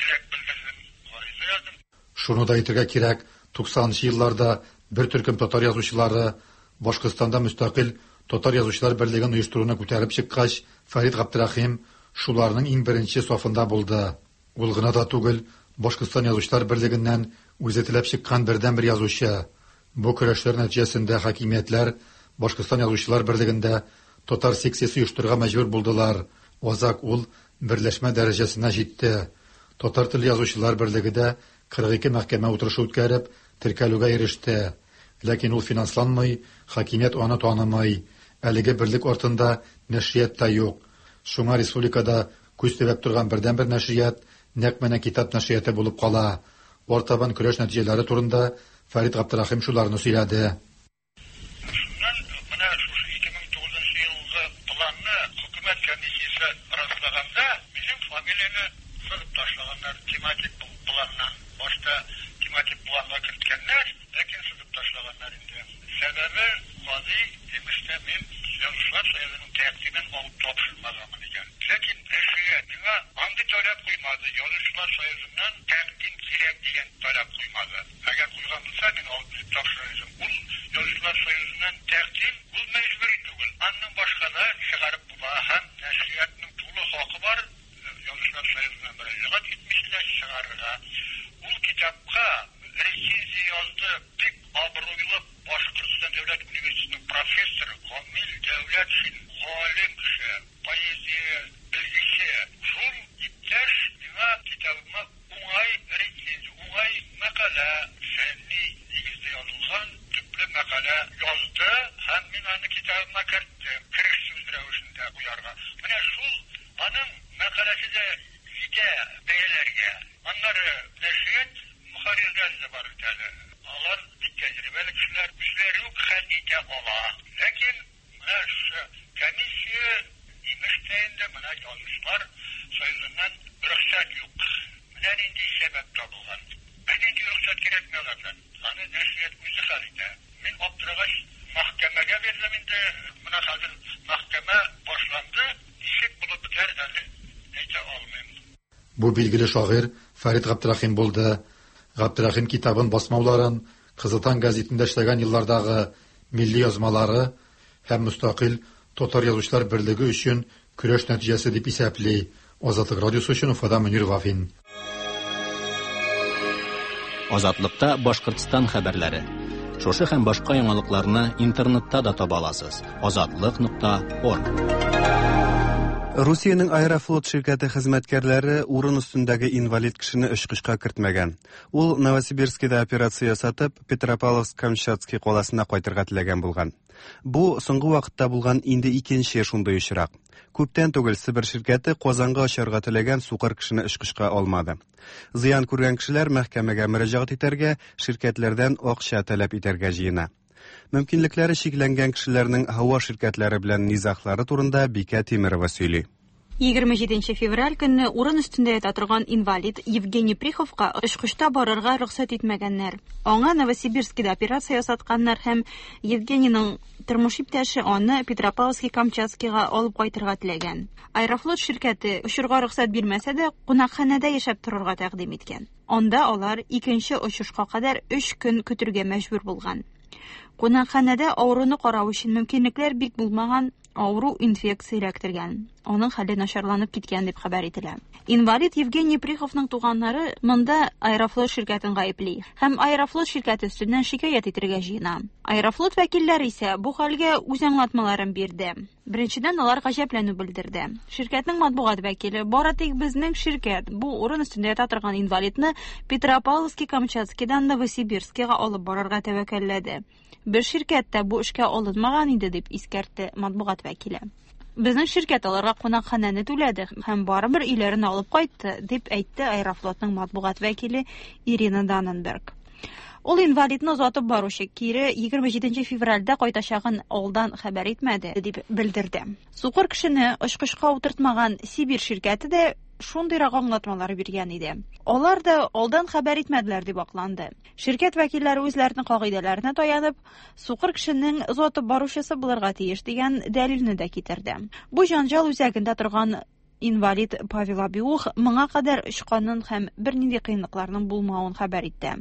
теләк белдердем, гариза яздым. Шуны да әйтергә кирәк, 90 елларда бер төркем татар язучылары Башкортстанда мөстәкыйль татар язучылар берлеген оештыруны күтәреп чыккач, Фәрид Габдрәхим шуларның иң беренче сафында булды. Ул гына да түгел, Башкортстан язучылар берлегеннән үзе теләп чыккан бердәнбер язучы. Бу көрәшләр нәтиҗәсендә хакимиятләр Башкортстан язучылар берлегендә татар секциясе оештырырга мәҗбүр булдылар. Азак ул берләшмә дәрәҗәсенә җитте. Татар теле язучылар берлеге дә 42 мәхкәмә утырышы үткәреп, теркәлүгә иреште. Ләкин ул финансланмый, хакимият аны танымый. Әлеге берлек артында нәшрият та юк. Шуңа республикада күз төбәп торган бердәнбер нәшрият нәкъ менә китап нәшрияты булып кала. Артабан көрәш нәтиҗәләре турында Фәрид Габдрәхим шуларны сөйләде. Шуннан менә шушы 2009 елгы планны хөкүмәт комиссиясе раслаганда, минем фамилияне сызып ташлаганнар тематик планнан. Башта тематик планга керткәннәр, ләкин сызып ташлаганнар инде. Сәбәбе гади, имеш тә мин Язучылар союзының тәкъдимен алып тапшырмаганмын икән. Ләкин нәшрият миңа андый таләп куймады. Язучылар союзыннан тәкъдим кирәк дигән таләп куймады. Әгәр куйган булса, мин алып килеп тапшырыр идем. Ул Язучылар союзыннан тәкъдим ул мәҗбүри түгел. Аннан башка да чыгарып була һәм нәшриятның тулы хакы бар. Язучылар союзына мөрәҗәгать итмичә Рамил Дәүләтшин, галим кеше, поэзия белгече. Шул иптәш миңа китабыма уңай рецензия, уңай мәкалә, фәнни нигездә язылган төпле мәкалә язды һәм мин аны китабыма керттем, кереш сүз рәвешендә куярга. Менә шул аның мәкаләсе дә җитә бәяләргә. Аннары нәшрият мөхәррирләре дә бар бит әле. Алар бик тәҗрибәле кешеләр, үзләре үк хәл итә ала. Ләкин менә шушы комиссия, имеш тә инде, менә Язучылар союзыннан рөхсәт юк. Менә нинди сәбәп табылган. Бернинди рөхсәт кирәкми алардан. Аны нәшрият үзе хәл итә. Мин аптырагач, мәхкәмәгә бирдем инде. Менә хәзер мәхкәмә башланды. Ничек булып бетәр, әле әйтә алмыйм. Бу билгеле шагыйрь Фәрит Габдрәхим булды. Габдрәхим китабын басмауларын Кызыл таң гәзитендә эшләгән еллардагы милли язмалары һәм мөстәкыйль татар язучылар берлеге өчен көрәш нәтиҗәсе дип исәпли. Азатлык радиосы өчен Уфадан Мөнир Вафин. Азатлыкта Башкортстан хәбәрләре. Шушы һәм башка яңалыкларны интернетта да таба аласыз. Азатлык.орг. Русиянең Аэрофлот ширкәте хезмәткәрләре урын өстендәге инвалид кешене очкычка кертмәгән. Ул Новосибирскида операция ясатып, Петропавловск-Камчатский каласына кайтырга теләгән булган. Бу соңгы вакытта булган инде икенче шундый очрак. Күптән түгел Себер ширкәте Казанга очарга теләгән сукыр кешене очкычка алмады. Зыян күргән кешеләр мәхкәмәгә мөрәҗәгать итәргә, ширкәтләрдән акча таләп итәргә җыена. Мөмкинлекләре чикләнгән кешеләрнең һава ширкәтләре белән низаглары турында Бикә Тимерова сөйли. 27 февраль көнне урын өстендә ята торган инвалид Евгений Приховка очкычта барырга рөхсәт итмәгәннәр. Аңа Новосибирскида операция ясатканнар һәм Евгенийның тормыш иптәше аны Петропавловский-Камчатскийга алып кайтырга теләгән. Аэрофлот ширкәте очырга рөхсәт бирмәсә дә, кунакханәдә яшәп торырга тәкъдим иткән. Анда алар икенче очышка кадәр өч көн көтергә мәҗбүр булган. Кунакханәдә авыруны карау өчен мөмкинлекләр бик булмаган, авыру инфекция эләктергән. Аның хәле начарланып киткән дип хәбәр ителә. Инвалид Евгений Приховның туганнары монда Аэрофлот ширкәтен гаепли һәм Аэрофлот ширкәте өстеннән шикаять итергә җыена. Аэрофлот вәкилләре исә бу хәлгә үз аңлатмаларын бирде. Беренчедән, алар гаҗәпләнү белдерде. Ширкәтнең матбугат вәкиле, бары тик безнең ширкәт бу урын өстендә ята торган инвалидны Петропавловский-Камчатскийдан Новосибирскига алып барырга тәвәккәлләде. Бер ширкәт тә бу эшкә алынмаган иде, дип искәртте матбугат вәкиле. Безнең ширкәт аларга кунакханәне түләде һәм барыбер өйләренә алып кайтты, дип әйтте Аэрофлотның матбугат вәкиле Ирина Даненберг. Ул инвалидны озатып баручы кире 27 февральдә кайтачагын алдан хәбәр итмәде, дип белдерде. Сукыр кешене очкычка утыртмаган Сибирь ширкәте дә шундыйрак аңлатмалар биргән иде. Алар да алдан хәбәр итмәделәр дип акланды. Ширкәт вәкилләре үзләренең кагыйдәләренә таянып, сукыр кешенең озатып баручысы булырга тиеш дигән дәлилне дә китерде. Бу җанҗал үзәгендә торган Инвалид Павел Абиух моңа кадәр очканын һәм бернинди кыенлыкларның булмавын хәбәр итте.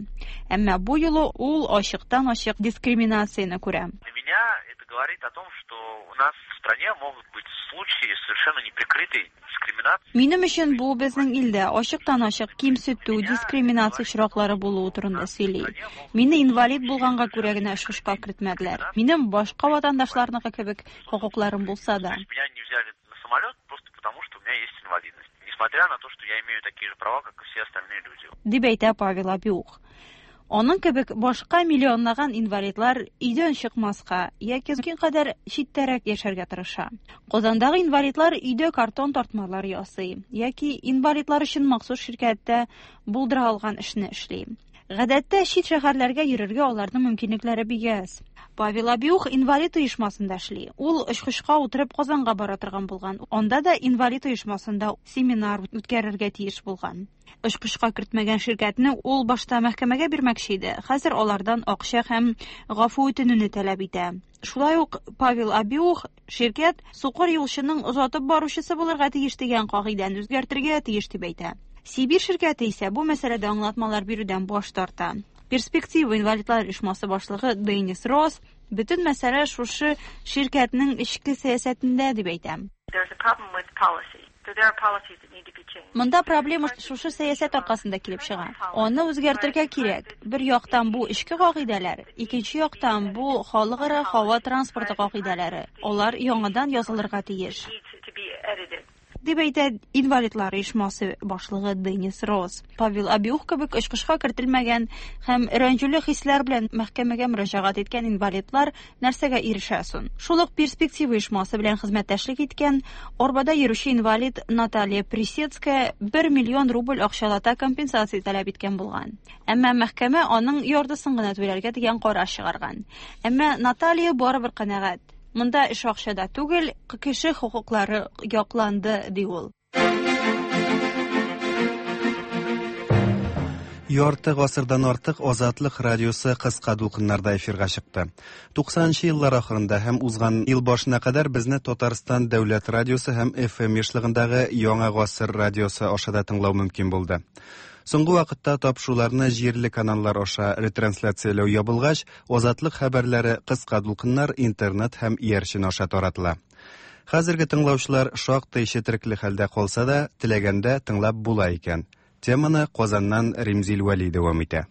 Әмма бу юлы ул ачыктан-ачык дискриминацияне күрә. Для меня это говорит о том, что у нас в стране могут быть случаи совершенно неприкрытой дискриминации. Минем өчен бу безнең илдә ачыктан-ачык кимсетү, дискриминация очраклары булуы турында сөйли. Мине инвалид булганга күрә генә очкычка кертмәделәр. Минем башка ватандашларныкы кебек хокукларым булса да. Меня не взяли на самолет просто потому, что у меня есть инвалидность. Несмотря на то, что я имею такие же права, как и все остальные люди. Дип әйтә Павел Абиух. Аның кебек башка миллионлаган инвалидлар өйдән чыкмаска яки мөмкин кадәр читтәрәк яшәргә тырыша. Казандагы инвалидлар өйдә картон тартмалар ясый яки инвалидлар өчен махсус ширкәттә булдыра алган эшне эшли. Гадәттә, чит шәһәрләргә йөрергә аларның мөмкинлекләре бик әз. Павел Абиух инвалид оешмасында эшли. Ул очкычка утырып Казанга бара торган булган. Анда да инвалид оешмасында семинар үткәрергә тиеш булган. Очкычка кертмәгән ширкәтне ул башта мәхкәмәгә бирмәкче иде, хәзер алардан акча һәм гафу үтенүне таләп итә. Шулай ук Павел Абиух ширкәт сукыр юлчының озатып баручысы булырга тиеш дигән кагыйдәне үзгәртергә тиеш дип әйтә. Сибирь ширкәте исә бу мәсьәләдә аңлатмалар бирүдән баш тарта. Перспектива инвалидлар оешмасы башлыгы Деннис Росс бөтен мәсьәлә шушы ширкәтнең эчке сәясәтендә дип әйтә. There's a problem with policy. Монда проблема шушы сәясәт аркасында килеп чыга. Аны үзгәртергә кирәк. Бер яктан бу эчке кагыйдәләр, икенче яктан бу халыкара һава транспорты кагыйдәләре. Алар яңадан язылырга тиеш. Дип әйтә инвалидлар оешмасы башлыгы Денис Росс. Павел Абиух кебек очкычка кертелмәгән һәм рәнҗүле хисләр белән мәхкәмәгә мөрәҗәгать иткән инвалидлар нәрсәгә ирешә соң? Шул ук Перспектива оешмасы белән хезмәттәшлек иткән арбада йөрүче инвалид Наталья Присецкая 1 миллион рубль акчалата компенсация таләп иткән булган. Әмма мәхкәмә аның яртысын гына түләргә дигән карар чыгарган. Әмма Наталья барыбер канәгать. Монда эш акчада түгел, кеше хокуклары якланды, ди ул. Ярты гасырдан артык Азатлык радиосы кыска дулкыннарда эфирга чыкты. 90 еллар ахырында һәм узган ел башына кадәр безне Татарстан дәүләт радиосы һәм FM ешлыгындагы Яңа гасыр радиосы аша да тыңлау мөмкин булды. Соңгы вакытта тапшыруларны җирле каналлар аша ретрансляцияләү ябылгач, Азатлык хәбәрләре кыска дулкыннар, интернет һәм иярчен аша таратыла. Хәзерге тыңлаучылар шактый четерекле хәлдә калса да, теләгәндә тыңлап була икән. Теманы Казаннан Римзил Вәли дәвам итә.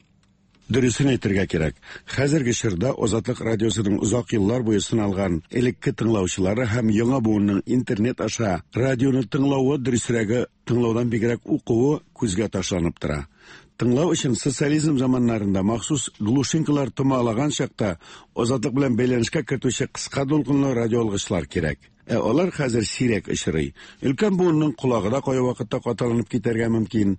Дөресен әйтергә кирәк, хәзерге чорда Азатлык радиосының озак еллар буе сыналган элекке тыңлаучылары һәм яңа буынның интернет аша радионы тыңлавы, дөресрәге, тыңлаудан бигрәк укуы күзгә ташланып тора. Тыңлау өчен социализм заманнарында махсус глушинкалар томалаган чакта Азатлык белән бәйләнешкә кертүче кыска дулкынлы радиоалгычлар кирәк. Ә алар хәзер сирәк очрый. Өлкән буынның колагы да кайвакытта каталанып китәргә мөмкин.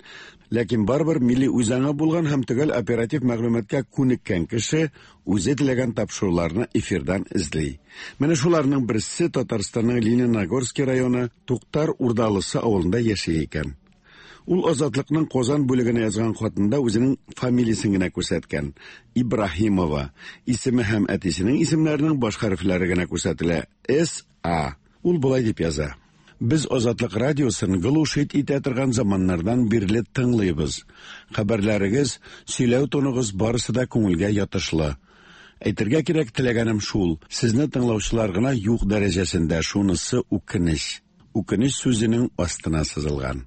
Ләкин барыбер милли үзаңы булган һәм төгәл оператив мәгълүматка күнеккән кеше үзе теләгән тапшыруларны эфирдан эзли. Менә шуларның берсе Татарстанның Лениногорский районы Туктар Урдалысы авылында яши икән. Ул Азатлыкның Казан бүлегенә язган хатында үзенең фамилиясен генә күрсәткән. Ибраһимова. Исеме һәм әтисенең исемнәренең баш хәрефләре генә күрсәтелә. С. А. Ул болай дип яза. Без Азатлык радиосын глушить итә торган заманнардан бирле тыңлыйбыз. Хәбәрләрегез, сөйләү тоныгыз барысы да күңелгә ятышлы. Әйтергә кирәк, теләгәнем шул, сезне тыңлаучылар гына юк дәрәҗәсендә, шунысы үкенеч. Үкенеч сүзенең астына сызылган.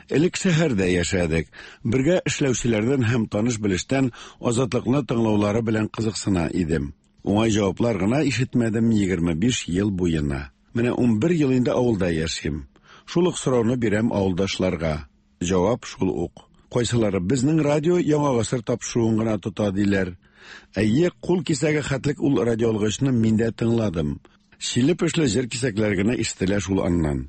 Элек шәһәрдә яшәдек. Бергә эшләүчеләрдән һәм таныш-белештән Азатлыкны тыңлаулары белән кызыксына идем. Уңай җаваплар гына ишетмәдем 25 ел буена. Менә 11 ел инде авылда яшим. Шул ук сорауны бирәм авылдашларга. Җавап шул ук. Кайсылары безнең радио Яңа гасыр тапшыруын гына тота диләр. Әйе, кул кисәге хәтлек ул радиоалгычны мин дә тыңладым. Чиле-пешле җыр кисәкләре генә ишетелә шул аннан.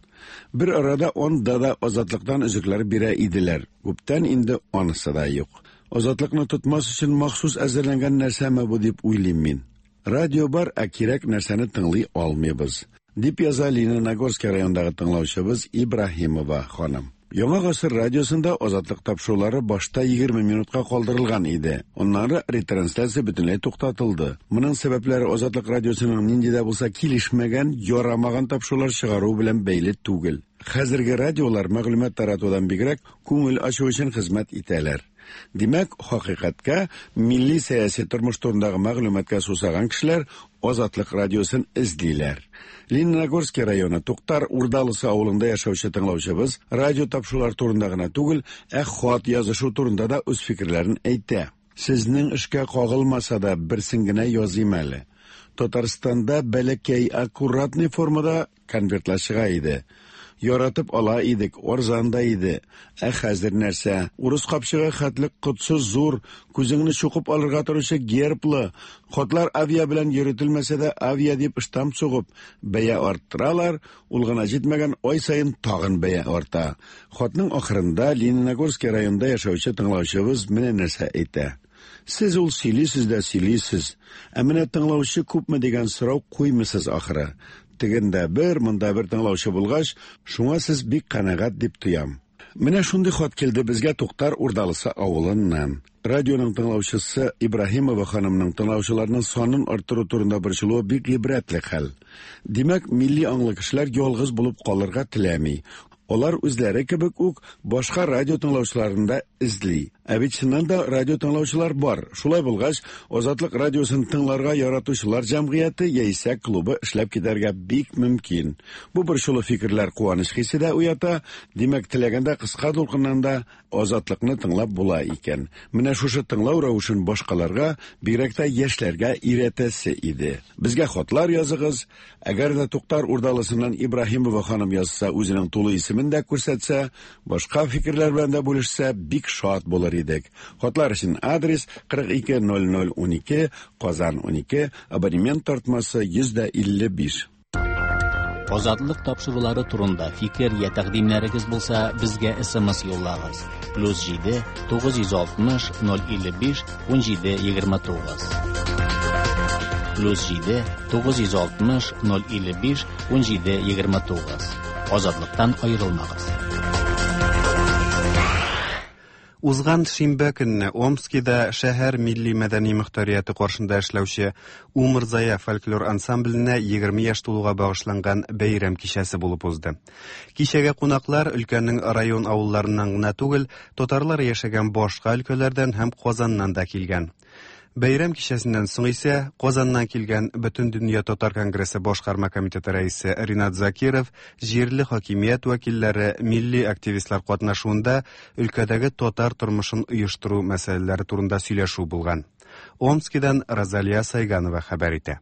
Бер арада анда да Азатлыктан өзекләр бирә иделәр. Күптән инде анысы да юк. Азатлыкны тотмас өчен махсус әзерләнгән нәрсәме бу дип уйлыйм мин. Радио бар, ә кирәк нәрсәне тыңлый алмыйбыз. Дип яза Лениногорский районындагы тыңлаучыбыз Ибраһимова ханым. Яңа гасыр радиосында Азатлык тапшырулары башта 20 минутка калдырылган иде. Аннары ретрансляция бөтенләй туктатылды. Моның сәбәпләре Азатлык радиосының нинди дә булса килешмәгән, ярамаган тапшырулар чыгаруы белән бәйле түгел. Хәзерге радиолар мәгълүмат таратудан бигрәк күңел ачу өчен хезмәт итәләр. Димәк, хакыйкатькә, милли сәяси тормыш турындагы мәгълүматка сусаган кешеләр Азатлык радиосын эзлиләр. Лениногорский районы Туктар Урдалысы авылында яшәүче тыңлаучыбыз радио тапшырулар турында гына түгел, ә хат язышу турында да үз фикерләрен әйтә. Сезнең эшкә кагылмаса да, берсен генә языйм әле. Татарстанда бәләкәй аккуратный формада конвертлар чыга иде. Яратып ала идек, арзан да иде. Ә хәзер нәрсә? Урыс капчыгы хәтле котсыз зур, күзеңне чукып алырга торучы герблы, хатлар авиа белән йөртелмәсә дә авиа дип штамп сугып, бәя арттыралар, ул гына җитмәгән, ай саен тагын бәя арта. Хатның ахырында Лениногорский районында яшәүче тыңлаучыбыз менә нәрсә әйтә. Сез ул сөйлисез дә сөйлисез, ә менә тыңлаучы күпме дигән сорау куймыйсыз ахыры. Тегендә бер, монда бер тыңлаучы булгач, шуңа сез бик канәгать дип тоям. Менә шундый хат килде безгә Туктар Урдалысы авылыннан. Радионың тыңлаучысы Ибраһимова ханымның тыңлаучыларның санын арттыру турында борчылуы бик гыйбрәтле хәл. Димәк, милли аңлы кешеләр ялгыз булып калырга теләми. Алар үзләре кебек үк башка радио тыңлаучыларын да эзли. Ә бит чыннан да радио тыңлаучылар бар. Шулай булгач, Азатлык радиосын тыңларга яратучылар җәмгыяте яисә клубы эшләп китәргә бик мөмкин. Бу борчулы фикерләр куаныч хисе дә уята, димәк, теләгәндә кыска дулкыннан да Азатлыкны тыңлап була икән. Менә шушы тыңлау рәвешен башкаларга, бигрәк тә яшьләргә өйрәтәсе иде. Безгә хатлар языгыз. Әгәр дә Туктар Урдалысыннан Ибраһимова ханым язса, үзенең тулы исемен дә күрсәтсә, башка фикерләр белән дә бүлешсә, бик шат булыр идек. Хатлар өчен адрес 42 00 12, Казан 12, абонемент тартмасы 155. Азатлык тапшырулары турында фикер я тәкъдимнәрегез булса, безгә SMS юллагыз. Плюс 7 960 055 17 29. Плюс 7 960 055 17 29. Азатлыктан аерылмагыз. Узган шимбә көнне Омскида шәһәр милли-мәдәни мөхтәрияте каршында эшләүче Умырзая фольклор ансамбленә 20 яшь тулуга багышланган бәйрәм кичәсе булып узды. Кичәгә кунаклар өлкәнең район авылларыннан гына түгел, татарлар яшәгән башка өлкәләрдән һәм Казаннан да килгән. Бәйрәм кичәсеннән соң исә Казаннан килгән Бөтендөнья татар конгрессы башкарма комитеты рәисе Ринат Закиров, җирле хакимият вәкилләре, милли активистлар катнашуында өлкәдәге татар тормышын оештыру мәсьәләләре турында сөйләшү булган. Омскидан Розалия Сайганова хәбәр итә.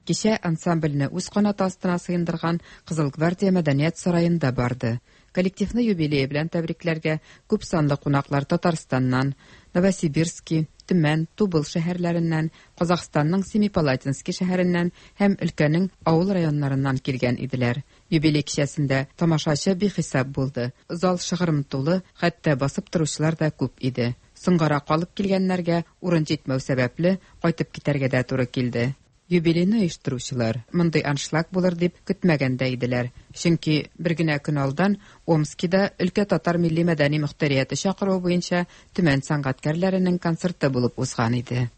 Кичә ансамбльне үз канаты астына сыендырган Кызыл гвардия мәдәният сараенда барды. Коллективны юбилее белән тәбрикләргә күп санлы кунаклар Татарстаннан, Новосибирски, Төмән, Тубыл шәһәрләреннән, Казахстанның Семипалатински шәһәреннән һәм өлкәнең авыл районнарыннан килгән иделәр. Юбилей кичәсендә тамашачы бихисап булды. Зал шыгрым тулы, хәтта басып торучылар да күп иде. Соңгарак калып килгәннәргә урын җитмәү сәбәпле, кайтып китәргә дә туры килде. Юбилейны оештыручылар мондый аншлаг булыр дип көтмәгән дә иделәр. Чөнки бер генә көн алдан Омскида өлкә татар милли-мәдәни мөхтәрияте чакыруы буенча Төмән сәнгатькәрләренең концерты булып узган иде.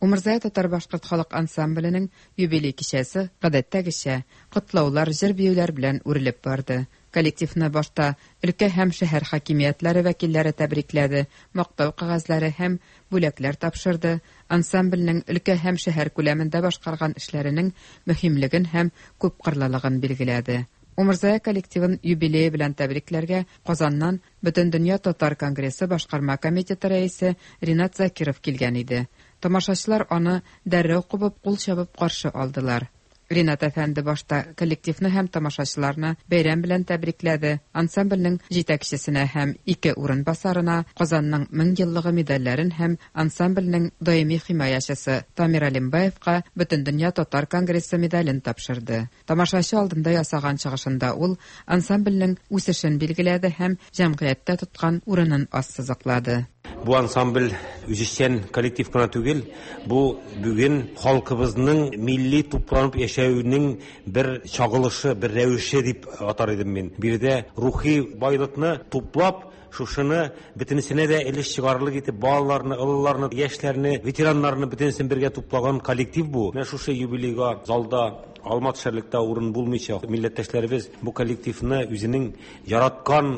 Умырзая татар-башкорт халык ансамбленең юбилей кичәсе, гадәттәгечә, котлаулар, җыр-биюләр белән үрелеп барды. Коллективны башта өлкә һәм шәһәр хакимиятләре вәкилләре тәбрикләде, мактау кәгазьләре һәм бүләкләр тапшырды, ансамбльнең өлкә һәм шәһәр күләмендә башкарган эшләренең мөһимлеген һәм күпкырлылыгын билгеләде. Умырзая коллективын юбилее белән тәбрикләргә Казаннан Бөтендөнья татар конгрессы башкарма комитеты рәисе Ринат Закиров килгән иде. Тамашачылар аны дәррәү кубып, кул чабып каршы алдылар. Ринат әфәнде башта коллективны һәм тамашачыларны бәйрәм белән тәбрикләде, ансамбльнең җитәкчесенә һәм ике урынбасарына Казанның 1000 еллыгы медальләрен һәм ансамбльнең даими химаячысы Тамир Алимбаевка Бөтендөнья татар конгрессы медален тапшырды. Тамашачы алдында ясаган чыгышында ул ансамбльнең үсешен билгеләде һәм җәмгыятьтә тоткан урынын ассызыклады. Бу ансамбль үзешчән коллектив кына түгел, бу бүген халкыбызның милли тупланып яшәвенең бер чагылышы, бер рәвеше дип атар идем мин. Биредә рухи байлыкны туплап, шушыны бөтенесенә дә өлеш чыгарырлык итеп балаларны, олыларны, яшьләрне, ветераннарны бөтенесен бергә туплаган коллектив бу. Менә шушы юбилейга залда алма төшәрлек тә урын булмыйча, милләттәшләребез бу коллективны үзенең яраткан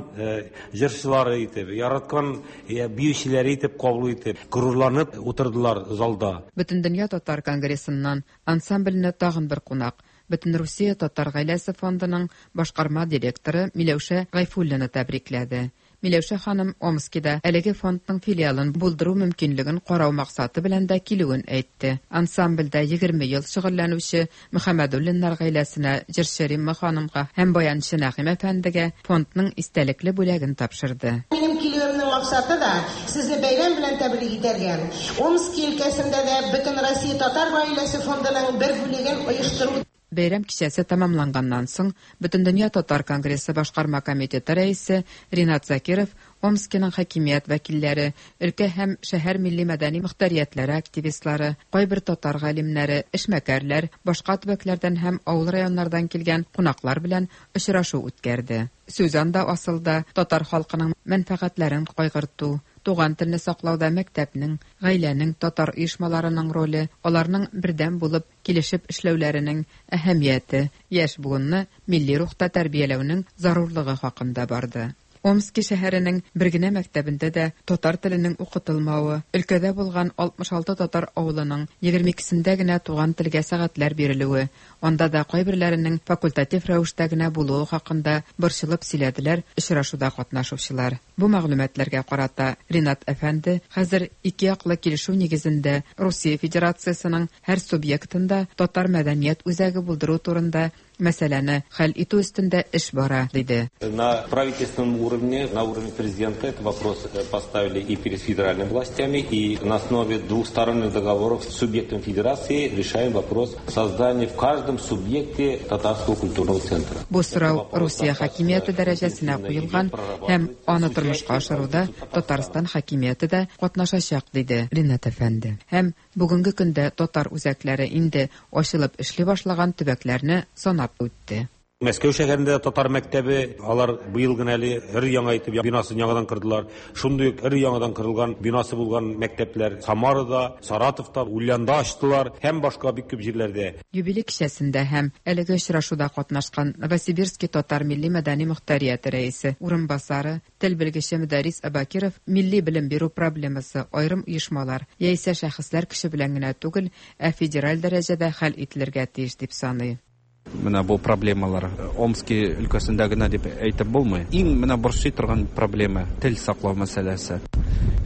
җырчылары итеп, яраткан биючеләре итеп кабул итеп, горурланып утырдылар залда. Бөтендөнья татар конгрессыннан ансамбльне тагын бер кунак, Бөтенрусия татар гаиләсе фондының башкарма директоры Миләүшә Гайфуллина тәбрикләде. Миләүшә ханым Омскида әлеге фондның филиалын булдыру мөмкинлеген карау максаты белән дә килүен әйтте. Ансамбльдә 20 ел шөгыльләнүче Мөхәммәдуллиннар гаиләсенә, җырчы Римма ханымга һәм баянчы Нәгыйм әфәндегә фондның истәлекле бүләген тапшырды. Минем килүемнең максаты да, сезне бәйрәм белән тәбрик итәргә, Омски өлкәсендә дә Бөтенроссия татар гаиләсе фондының бер бүлеген оештыру. Бәйрәм кичәсе тәмамланганнан соң, Бөтендөнья татар конгрессы башкарма комитеты рәисе Ринат Закиров Омскиның хакимият вәкилләре, өлкә һәм шәһәр милли-мәдәни мөхтәриятләре активистлары, кайбер татар галимнәре, эшмәкәрләр, башка төбәкләрдән һәм авыл районнардан килгән кунаклар белән очрашу үткәрде. Сүз анда асылда татар халкының мәнфәгатьләрен кайгырту, туган телне саклауда мәктәпнең, гаиләнең, татар оешмаларының роле, аларның бердәм булып, килешеп эшләүләренең әһәмияте, яшь буынны милли рухта тәрбияләүнең зарурлыгы хакында барды. Омски шәһәренең бер генә мәктәбендә дә татар теленең укытылмавы, өлкәдә булган 66 татар авылының 22сендә генә туган телгә сәгатьләр бирелүе, анда да кайберләренең факультатив рәвештә генә булуы хакында борчылып сөйләделәр очрашуда катнашучылар. Бу мәгълүматларга карата Ринат әфәнде хәзер ике яклы килешү нигезендә Русия Федерациясенең һәр субъектында татар мәдәният үзәге булдыру турында мәсьәләне хәл итү өстендә эш бара, диде. На правительственном уровне, на уровне президента этот вопрос поставили и перед федеральными властями, и на основе двухсторонних договоров с субъектом федерации решаем вопрос создания в каждом субъекте татарского культурного центра. Бу сорау Русия хакимияте дәрәҗәсенә куелган һәм аны тормышка ашыруда Татарстан хакимияте дә катнашачак, диде Ринат әфәнде. Һәм бүгенге көндә татар үзәкләре инде ачылып эшли башлаган төбәкләрне санап үтте. Мәскәү шәһәрендә татар мәктәбе, алар быел гына әле өр-яңа итеп бинасын яңадан кордылар. Шундый ук өр-яңадан корылган бинасы булган мәктәпләр Самарада, Саратовта, Ульянда ачтылар һәм башка бик күп җирләрдә. Юбилей кичәсендә һәм әлеге очрашуда катнашкан Новосибирски татар милли-мәдәни мохтарияте рәисе урынбасары, тел белгече Мөдәррис Абакиров милли белем бирү проблемасы аерым оешмалар яисә шәхесләр көче белән генә түгел, ә федераль дәрәҗәдә хәл ителергә тиеш дип саный. Менә бу проблемалар Омски өлкәсендә генә дип әйтеп булмый. Иң менә борчый торган проблема тел саклау мәсьәләсе.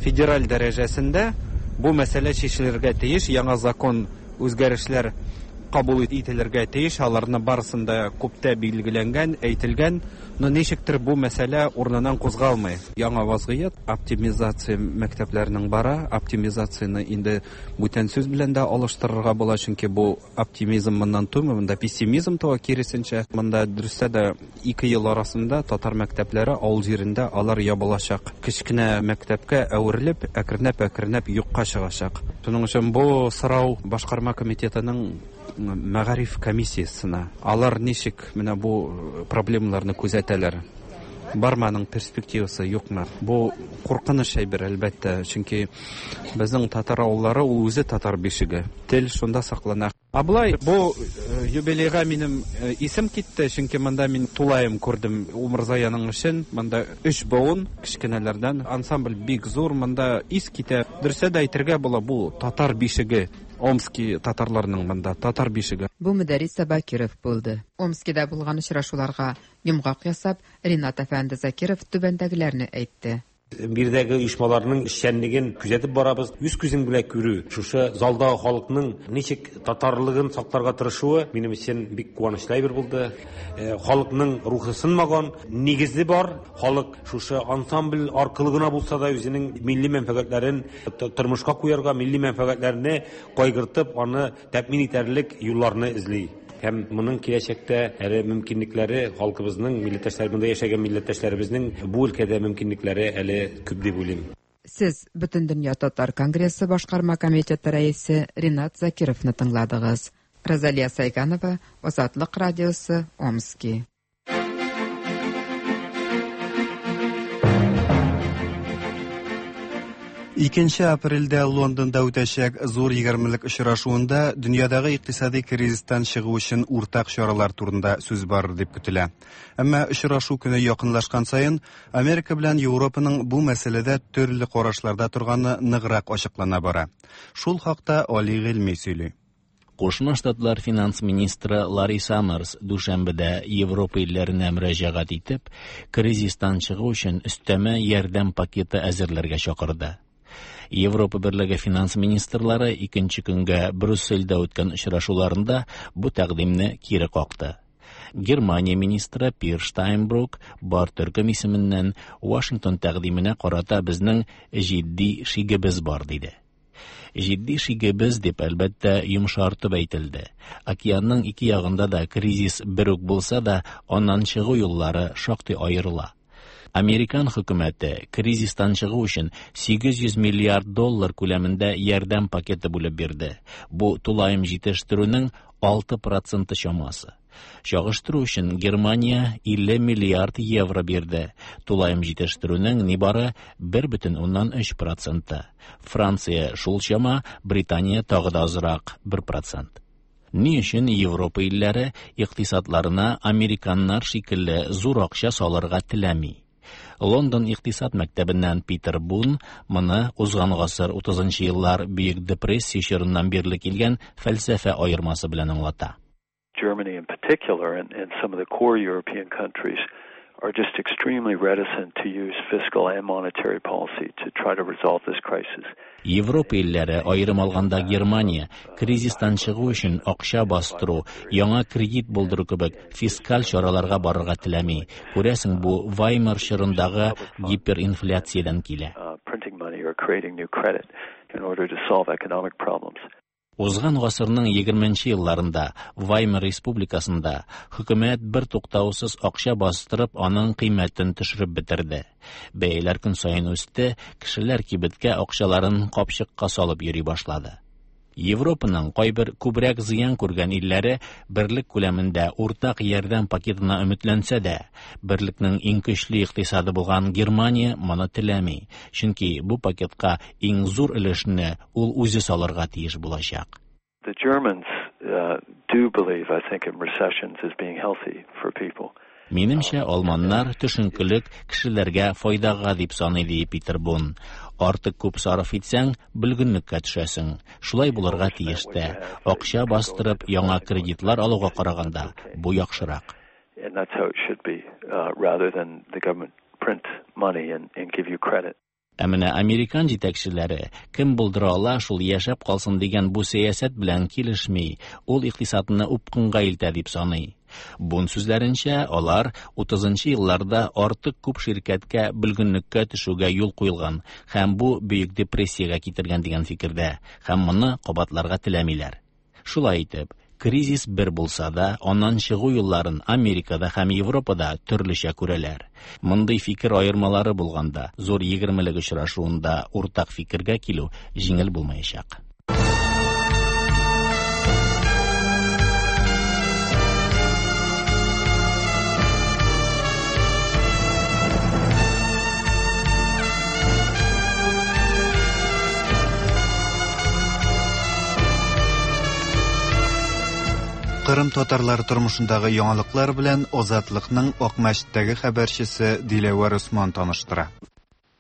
Федераль дәрәҗәсендә бу мәсьәлә чишелергә тиеш, яңа закон үзгәрешләр кабул ителергә тиеш, аларны барысын да күптә билгеләнгән, әйтелгән, но ничектер бу мәсьәлә урыныннан кузгалмый. Яңа вазгыять, оптимизация мәктәпләрнең бара, оптимизацияне инде бүтән сүз белән дә алыштырырга була, чөнки бу оптимизм моннан тумый, монда пессимизм туа киресенчә. Монда дөрестә дә ике ел арасында татар мәктәпләре авыл җирендә алар ябылачак. Кечкенә мәктәпкә әверелеп, әкренләп-әкренләп юкка чыгачак. Шуның өчен бу сорау башкарма комитетының мәгариф комиссиясенә. Алар ничек менә бу проблемаларны күзәтәләр? Бармы аның перспективасы, юкмы? Бу куркыныч әйбер, әлбәттә, чөнки безнең татар авыллары ул үзе татар бишеге. Тел шунда саклана. Ә болай бу юбилейга минем исем китте, чөнки монда мин тулаем күрдем Умырзаяның эшен. Монда өч буын кечкенәләрдән. Ансамбль бик зур, монда ис китә. Дөресә дә әйтергә була, бу татар бишеге. Омски татарларының монда татар бишеге. Бу Мөдәррис Абакиров булды. Омскида булган очрашуларга йомгак ясап, Ринат әфәнде Закиров түбәндәгеләрне әйтте. Биредәге оешмаларның эшчәнлеген күзәтеп барабыз. Үз күзең белән күрү, шушы залдагы халыкның ничек татарлыгын сакларга тырышуы минем өчен бик куанычлы әйбер булды. Халыкның рухы сынмаган, нигезе бар. Халык шушы ансамбль аркылы гына булса да үзенең милли мәнфәгатьләрен тормышка куярга, милли мәнфәгатьләрне кайгыртып, аны тәэмин итәрлек юлларны эзли. Һәм моның киләчәктә әле мөмкинлекләре халкыбызның, милләттәшләр, монда яшәгән милләттәшләребезнең бу өлкәдә мөмкинлекләре әле күп дип уйлыйм. Сез Бөтендөнья татар конгрессы башкарма комитеты рәисе Ринат Закировны тыңладыгыз. Розалия Сайганова, Азатлык радиосы, Омски. Икенче апрельдә Лондонда үтәчәк зур егермелек очрашуында дөньядагы икътисади кризистан чыгу өчен уртак чаралар турында сүз барыр дип көтелә. Әмма очрашу көне якынлашкан саен Америка белән Европаның бу мәсьәләдә төрле карашларда торганы ныграк ачыклана бара. Шул хакта Али Гыйльми сөйли. Кушма Штатлар финанс министры Ларри Саммерс дүшәмбедә Европа илләренә мөрәҗәгать итеп, кризистан чыгу өчен өстәмә ярдәм пакеты әзерләргә чакырды. Европа Берлеге финанс министрлары икенче көнгә Брюссельдә үткән очрашуларында бу тәкъдимне кире какты. Германия министры Пир Штайнбрук бар төркем исеменнән Вашингтон тәкъдименә карата безнең җитди шигебез бар диде. Җитди шигебез дип, әлбәттә, йомшартып әйтелде. Океанның ике ягында да кризис бер үк булса да, аннан чыгу юллары шактый аерыла. Американ хөкүмәте кризистан чыгу өчен 800 миллиард доллар күләмендә ярдәм пакеты бүлеп бирде. Бу тулаем җитештерүнең 6 проценты чамасы. Чагыштыру өчен Германия 50 миллиард евро бирде. Тулаем җитештерүнең нибары 1,3 проценты. Франция шул чама, Британия тагы да азрак 1 процент. Ни өчен Европа илләре икътисадларына американнар шикелле зур акча салырга теләми? Лондон икътисад мәктәбеннән Питер Бун моны узган гасыр 30 нчы еллар Бөек депрессия чорыннан бирле килгән фәлсәфә аермасы белән аңлата. Germany in particular and, and some of the core European countries are just extremely reticent to use fiscal and monetary policy to try to resolve this crisis. Европа илләре, аерым алганда Германия, кризистан чыгу өчен акча бастыру, яңа кредит булдыру кебек фискаль чараларга барырга теләми. Күрәсең, бу Ваймар чорындагы гиперинфляциядән килә. Printing money or creating new credit in order to solve economic problems. Узган гасырның 20 нче елларында Ваймар республикасында хөкүмәт бер туктаусыз акча бастырып, аның кыйммәтен төшереп бетерде. Бәяләр көн саен үсте, кешеләр кибеткә акчаларын капчыкка салып йөри башлады. Европаның кайбер күбрәк зыян күргән илләре берлек күләмендә уртак ярдәм пакетына өметләнсә дә, берлекнең иң көчле икътисады булган Германия моны теләми, чөнки бу пакетка иң зур өлешне ул үзе салырга тиеш булачак. The Germans do believe, I think, in recessions as being healthy for people. Минемчә, алманнар төшенкелек кешеләргә файдага дип саный, ди Питер Бун. Артык күп сарыф итсәң, бөлгенлеккә төшәсең. Шулай булырга тиеш тә. Акча бастырып, яңа кредитлар алуга караганда, бу яхшырак. And that's how it should be, rather than the government print money and, and give you credit. Ә менә американ җитәкчеләре кем булдыра ала, шул яшәп калсын дигән бу сәясәт белән килешми, ул икътисадны упкынга илтә дип саный. Бун сүзләренчә, алар 30 нчы елларда артык күп ширкәткә бөлгенлеккә төшүгә юл куелган һәм бу Бөек депрессиягә китергән дигән фикердә һәм моны кабатларга теләмиләр. Шулай итеп, кризис бер булса да, аннан чыгу юлларын Америкада һәм Европада төрлечә күрәләр. Мондый фикер аермалары булганда, зур егермелек очрашуында уртак фикергә килү җиңел булмаячак. Кырым татарлары тормышындагы яңалыклар белән Азатлыкның Акмәчеттәге хәбәрчесе Диләвәр Усман таныштыра.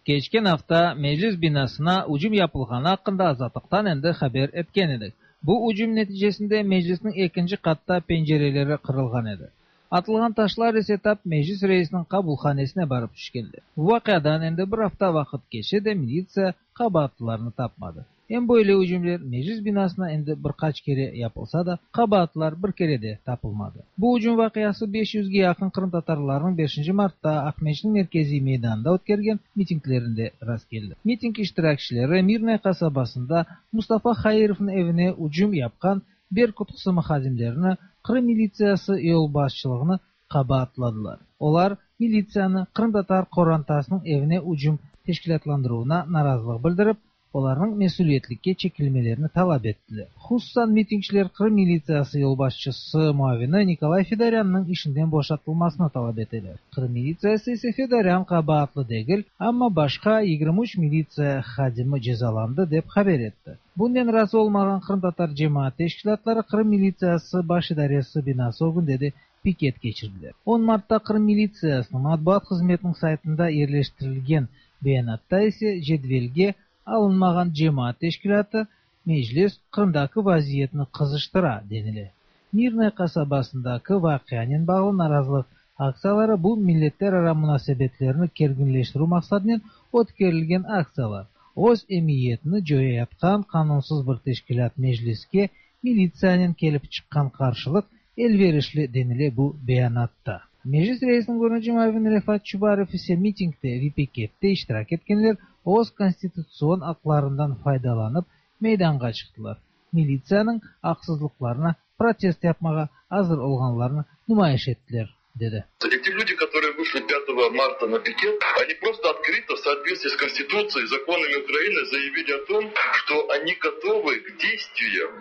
Keçken afta Meclis binasına ucum yapılğanı aqqında Azatlıqtan endi haber etken edik. Bu ucum neticesinde Meclisniñ ekinci qatta pencereleri qırılğan edi. Atılğan taşlar ise tap Meclis reisiniñ qabulhanesine barıp tüşkenler. Bu vaqiadan endi bir afta vaqıt keçse de militsiya qabaatlılarnı tapmadı. Em böyle ücümler Meclis binasına endi bir qaç kere yapılsa da, qabaatlılar bir kere de tapılmadı. Bu ücüm vaqiası 500 ge yaqın qırımtatarlarnıñ beşinci martta Aqmescitniñ merkeziy meydanında ötkergen mitinglerinde rastkeldi. Miting iştirakçileri Mirnoye qasabasında Mustafa Hairovnıñ evine ücüm yapqan Berkut qısımı hadimlerini, Qırım militsiyası yolbaşçılığını qabaatladılar. Olar militsiyanı qırımtatar qorantasınıñ evine ücüm teşkilâtlandıruvına narazılıq bildirip, olarnıñ mesüliyetlikke çekilmelerini talap ettiler. Hususan, mitingçiler Qırım militsiyası yolbaşçısı muavini Nikolay Fedorânnıñ işinden boşatılmasını talap eteler. Qırım militsiyası ise Fedorân qabaatlı degil, amma başqa 23 militsiya hadimi cezalandı, dep haber etti. Bunnen razı olmağan qırımtatar cemaat teşkilâtları Qırım militsiyası baş idaresi binası ögünde de piket keçirdiler. On martta Qırım militsiyasınıñ matbuat hızmetiniñ saytında yerleştirilgen beyanatta ise cedvelge alınmağan cemaat teşkilâtı Meclis Qırımdaki vaziyetni qızıştıra, denile. Mirnoye qasabasındaki vaqianen bağlı narazılıq aktsiyaları bu milletlerara munasebetlerni kerginleştirüv maqsadınen ötkerilgen aktsiyalar, öz emiyetini coyayatqan qanunsız bir teşkilât Mecliske militsiyanen kelip çıqqan qarşılıq elverişli, denile bu beyanatta. Meclis reisiniñ birinci muavini Refat Çubarov ise mitingde ve pikette iştirak etkenler öz konstitutsion aqlarından faydalanıp meydanğa çıqtılar, militsiyanıñ aqsızlıqlarına protest yapmağa azır olğanlarını numayış ettiler, dedi. Эти люди, которые вышли 5 марта на пикет, они просто открыто в соответствии с Конституцией и законами Украины заявили о том, что они готовы к действиям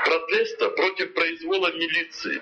протеста против произвола милиции.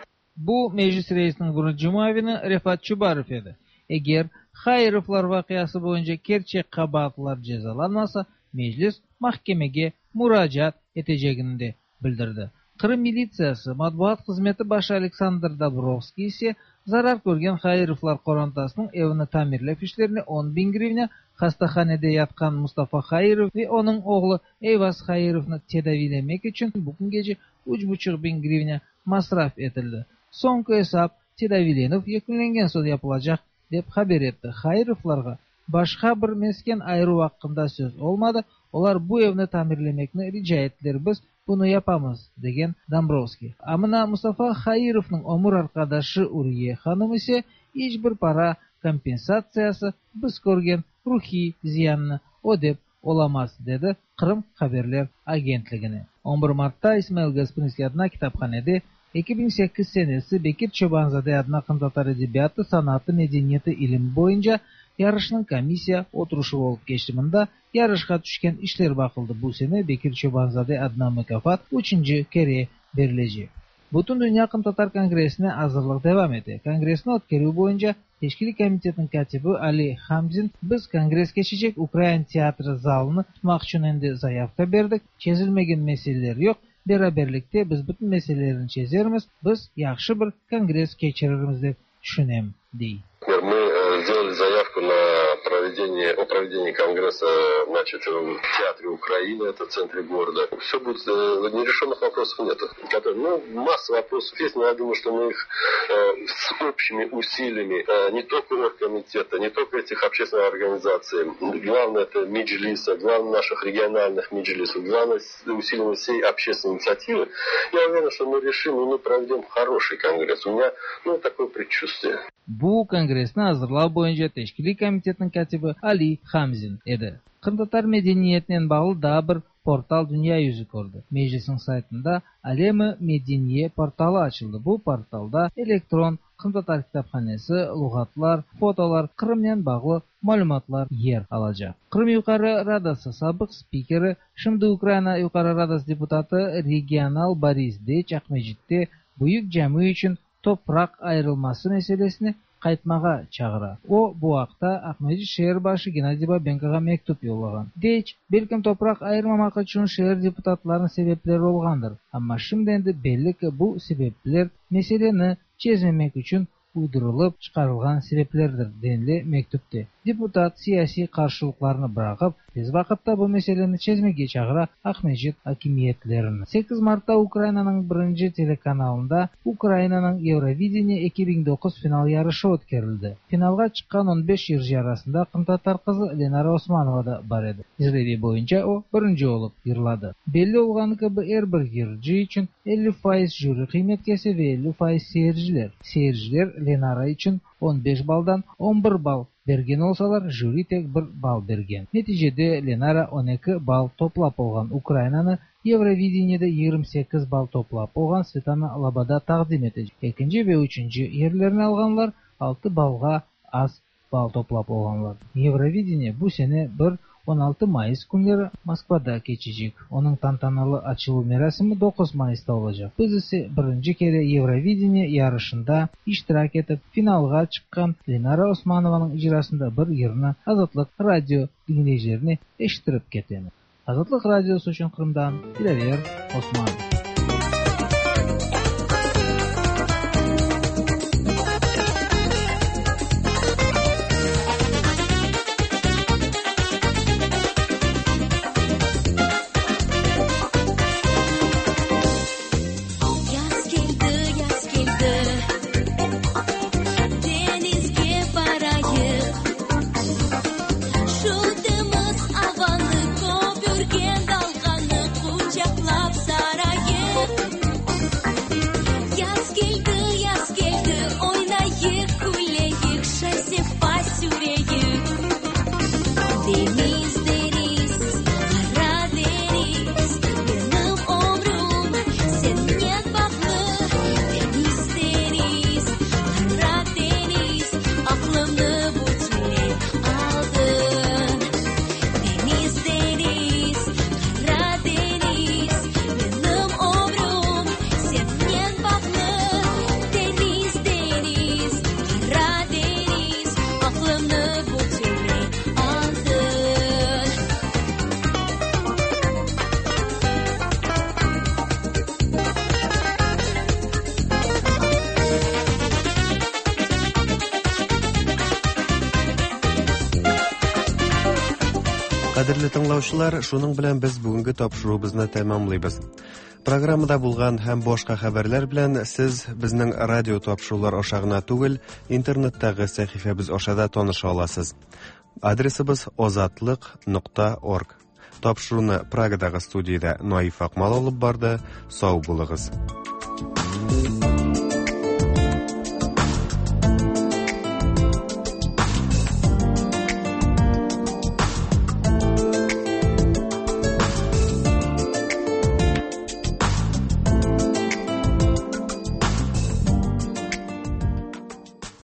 Bu, Meclis reisiniñ birinci muavini Refat Çubarov edi. Eger Hairovlar vaqiası boyunca kerçek qabaatlılar cezalanmasa, Meclis mahkemege muracaat etecegini de bildirdi. Qırım militsiyası matbuat hızmeti başı Aleksandr Dobrovskiy ise zarar körgen Hairovlar qorantasınıñ evini tamirlev işlerine 10 biñ grivna, hastahanede yatqan Mustafa Hairov ve onıñ oğlu Eyvaz Hairovnı tedaviylemek içün bu küngece 3,5 biñ grivna masraf etildi. Soñki esap tedaviylenüv yekünlengen soñ yapılacaq, dep haber etti. Hairovlarğa başqa bir mesken ayıruv aqqında söz olmadı, olar bu evni tamirlemekni rica ettiler, biz bunı yapamız, degen Dombrovskiy. A mına Mustafa Hairovnıñ ömür arqadaşı Uriye hanım ise iç bir para kompensatsiyası biz körgen ruhiy ziyannı ödep olamaz, dedi Qırım haberler agentligine. 11 martta İsmail Gasprinskiy adına kitaphanede 2008 senesi Bekir Çoban-zade adına qırımtatar edebiyatı, sanatı, medeniyeti, ilimi boyunca yarışnıñ komissiya oturışuvı olıp keçti. Mında yarışqa tüşken işler baqıldı. Bu sene Bekir Çoban-zade adına mukâfat üçünci kere berilecek. Bütündünya qırımtatar kongressine azırlıq devam ete. Kongressni ötkerüv boyunca teşkiliy komitetniñ kâtibi Ali Hamzin, Biz kongress keçecek Ukrain teatri zalını tutmaq içün endi zayavka berdik. Çezilmegen meseleler yoq. Beraberlikte biz bütün meselelerni çezermiz, biz yahşı bir kongress keçirirmiz dep tüşünem, dey. Мы сделали заявку на проведение, о проведении конгресса, значит, в Театре Украины, это в центре города. Все будет, нерешенных вопросов нет. Ну, масса вопросов есть, но я думаю, что мы их с общими усилиями не только оргкомитета, не только этих общественных организаций, главное это Меджлиса, главное наших региональных Меджлисов, главное усилиями всей общественной инициативы, я уверен, что мы решим и мы проведем хороший конгресс. У меня, ну, такое предчувствие. Bu kongressni azırlav boyunca teşkiliy komitetniñ kâtibi Ali Hamzin edi. Qırımtatar medeniyetinen bağlı daa bir portal dünya yüzü kördi. Meclisniñ saytında Alem-i Medeniye portalı açıldı. Bu portalda elektron qırımtatar kitaphanesi, luğatlar, fotolar, Qırımnen bağlı malümatlar yer alacaq. Qırım Yuqarı Radası sabıq spikeri, şimdi Ukraina Yuqarı Radası deputatı, regional Boris Deyç Aqmescitte Büyük cami içün topraq ayırılması meselesine qaytmağa çağıra. O, bu aqta Aqmescit şeer başı Gennadiy Babenkoğa mektüp yollağan. Deyç, Belkim topraq ayırmamaq içün şeer deputatlarınıñ sebepleri olğandır, amma şimdi endi belli ki, bu sebepler meseleni çezmemek içün uydurılıp çıqarılğan sebeplerdir, denile mektüpte. Deputat siyasiy qarşılıqlarnı bıraqıp, tez vaqıtta bu meseleni çezmege çağıra Aqmescit akimiyetlerini. Sekiz martta Ukrainanıñ birinci telekanalında Ukrainanıñ Eurovideniye 2009 final yarışı ötkerildi. Finalğa çıqqan 15 yırcı arasında qırımtatar qızı Lenara Osmanova da bar edi. İzlevi boyunca o, birinci olıp yırladı. Belli olğanı kibi, er bir yırcı içün 50% jüri qıymet kese ve 50% seyirciler. Seyirciler Lenara içün 15 baldan 11 bal bergen olsalar, jüri tek bir bal bergen. Neticede Lenara 12 bal toplap olğan. Ukrainanı Eurovideniyede 28 bal toplap olğan Svetlana Loboda taqdim etecek. Ekinci ve üçünci yerlerni alğanlar altı balğa az bal toplap olğanlar. Eurovideniye bu sene bir 16 mayıs künleri Moskvada keçecek. Onıñ tantanalı açıluv merasimi 9 mayısta olacaq. Biz ise birinci kere Eurovideniye yarışında iştirak etip, finalğa çıqqan Lenara Osmanovanıñ icrasında bir yırnı Azatlıq Radio diñleyicilerine eşittirip ketemiz. Azatlıq Radiosı içün Qırımdan Dilâver Osmanov. Şu temiz avanı, köpürgen dalğanı quçaqlap sarayıq. Кадерле тыңлаучылар, шуның белән без бүгенге тапшыруыбызны тәмамлыйбыз. Программада булган һәм башка хәбәрләр белән сез безнең радио тапшырулар аша гына түгел, интернеттагы сәхифәбез аша да таныша аласыз. Адресыбыз озатлык.орг. Тапшыруны Прагадагы студиядә Наиф Акмал алып барды. Сау булыгыз.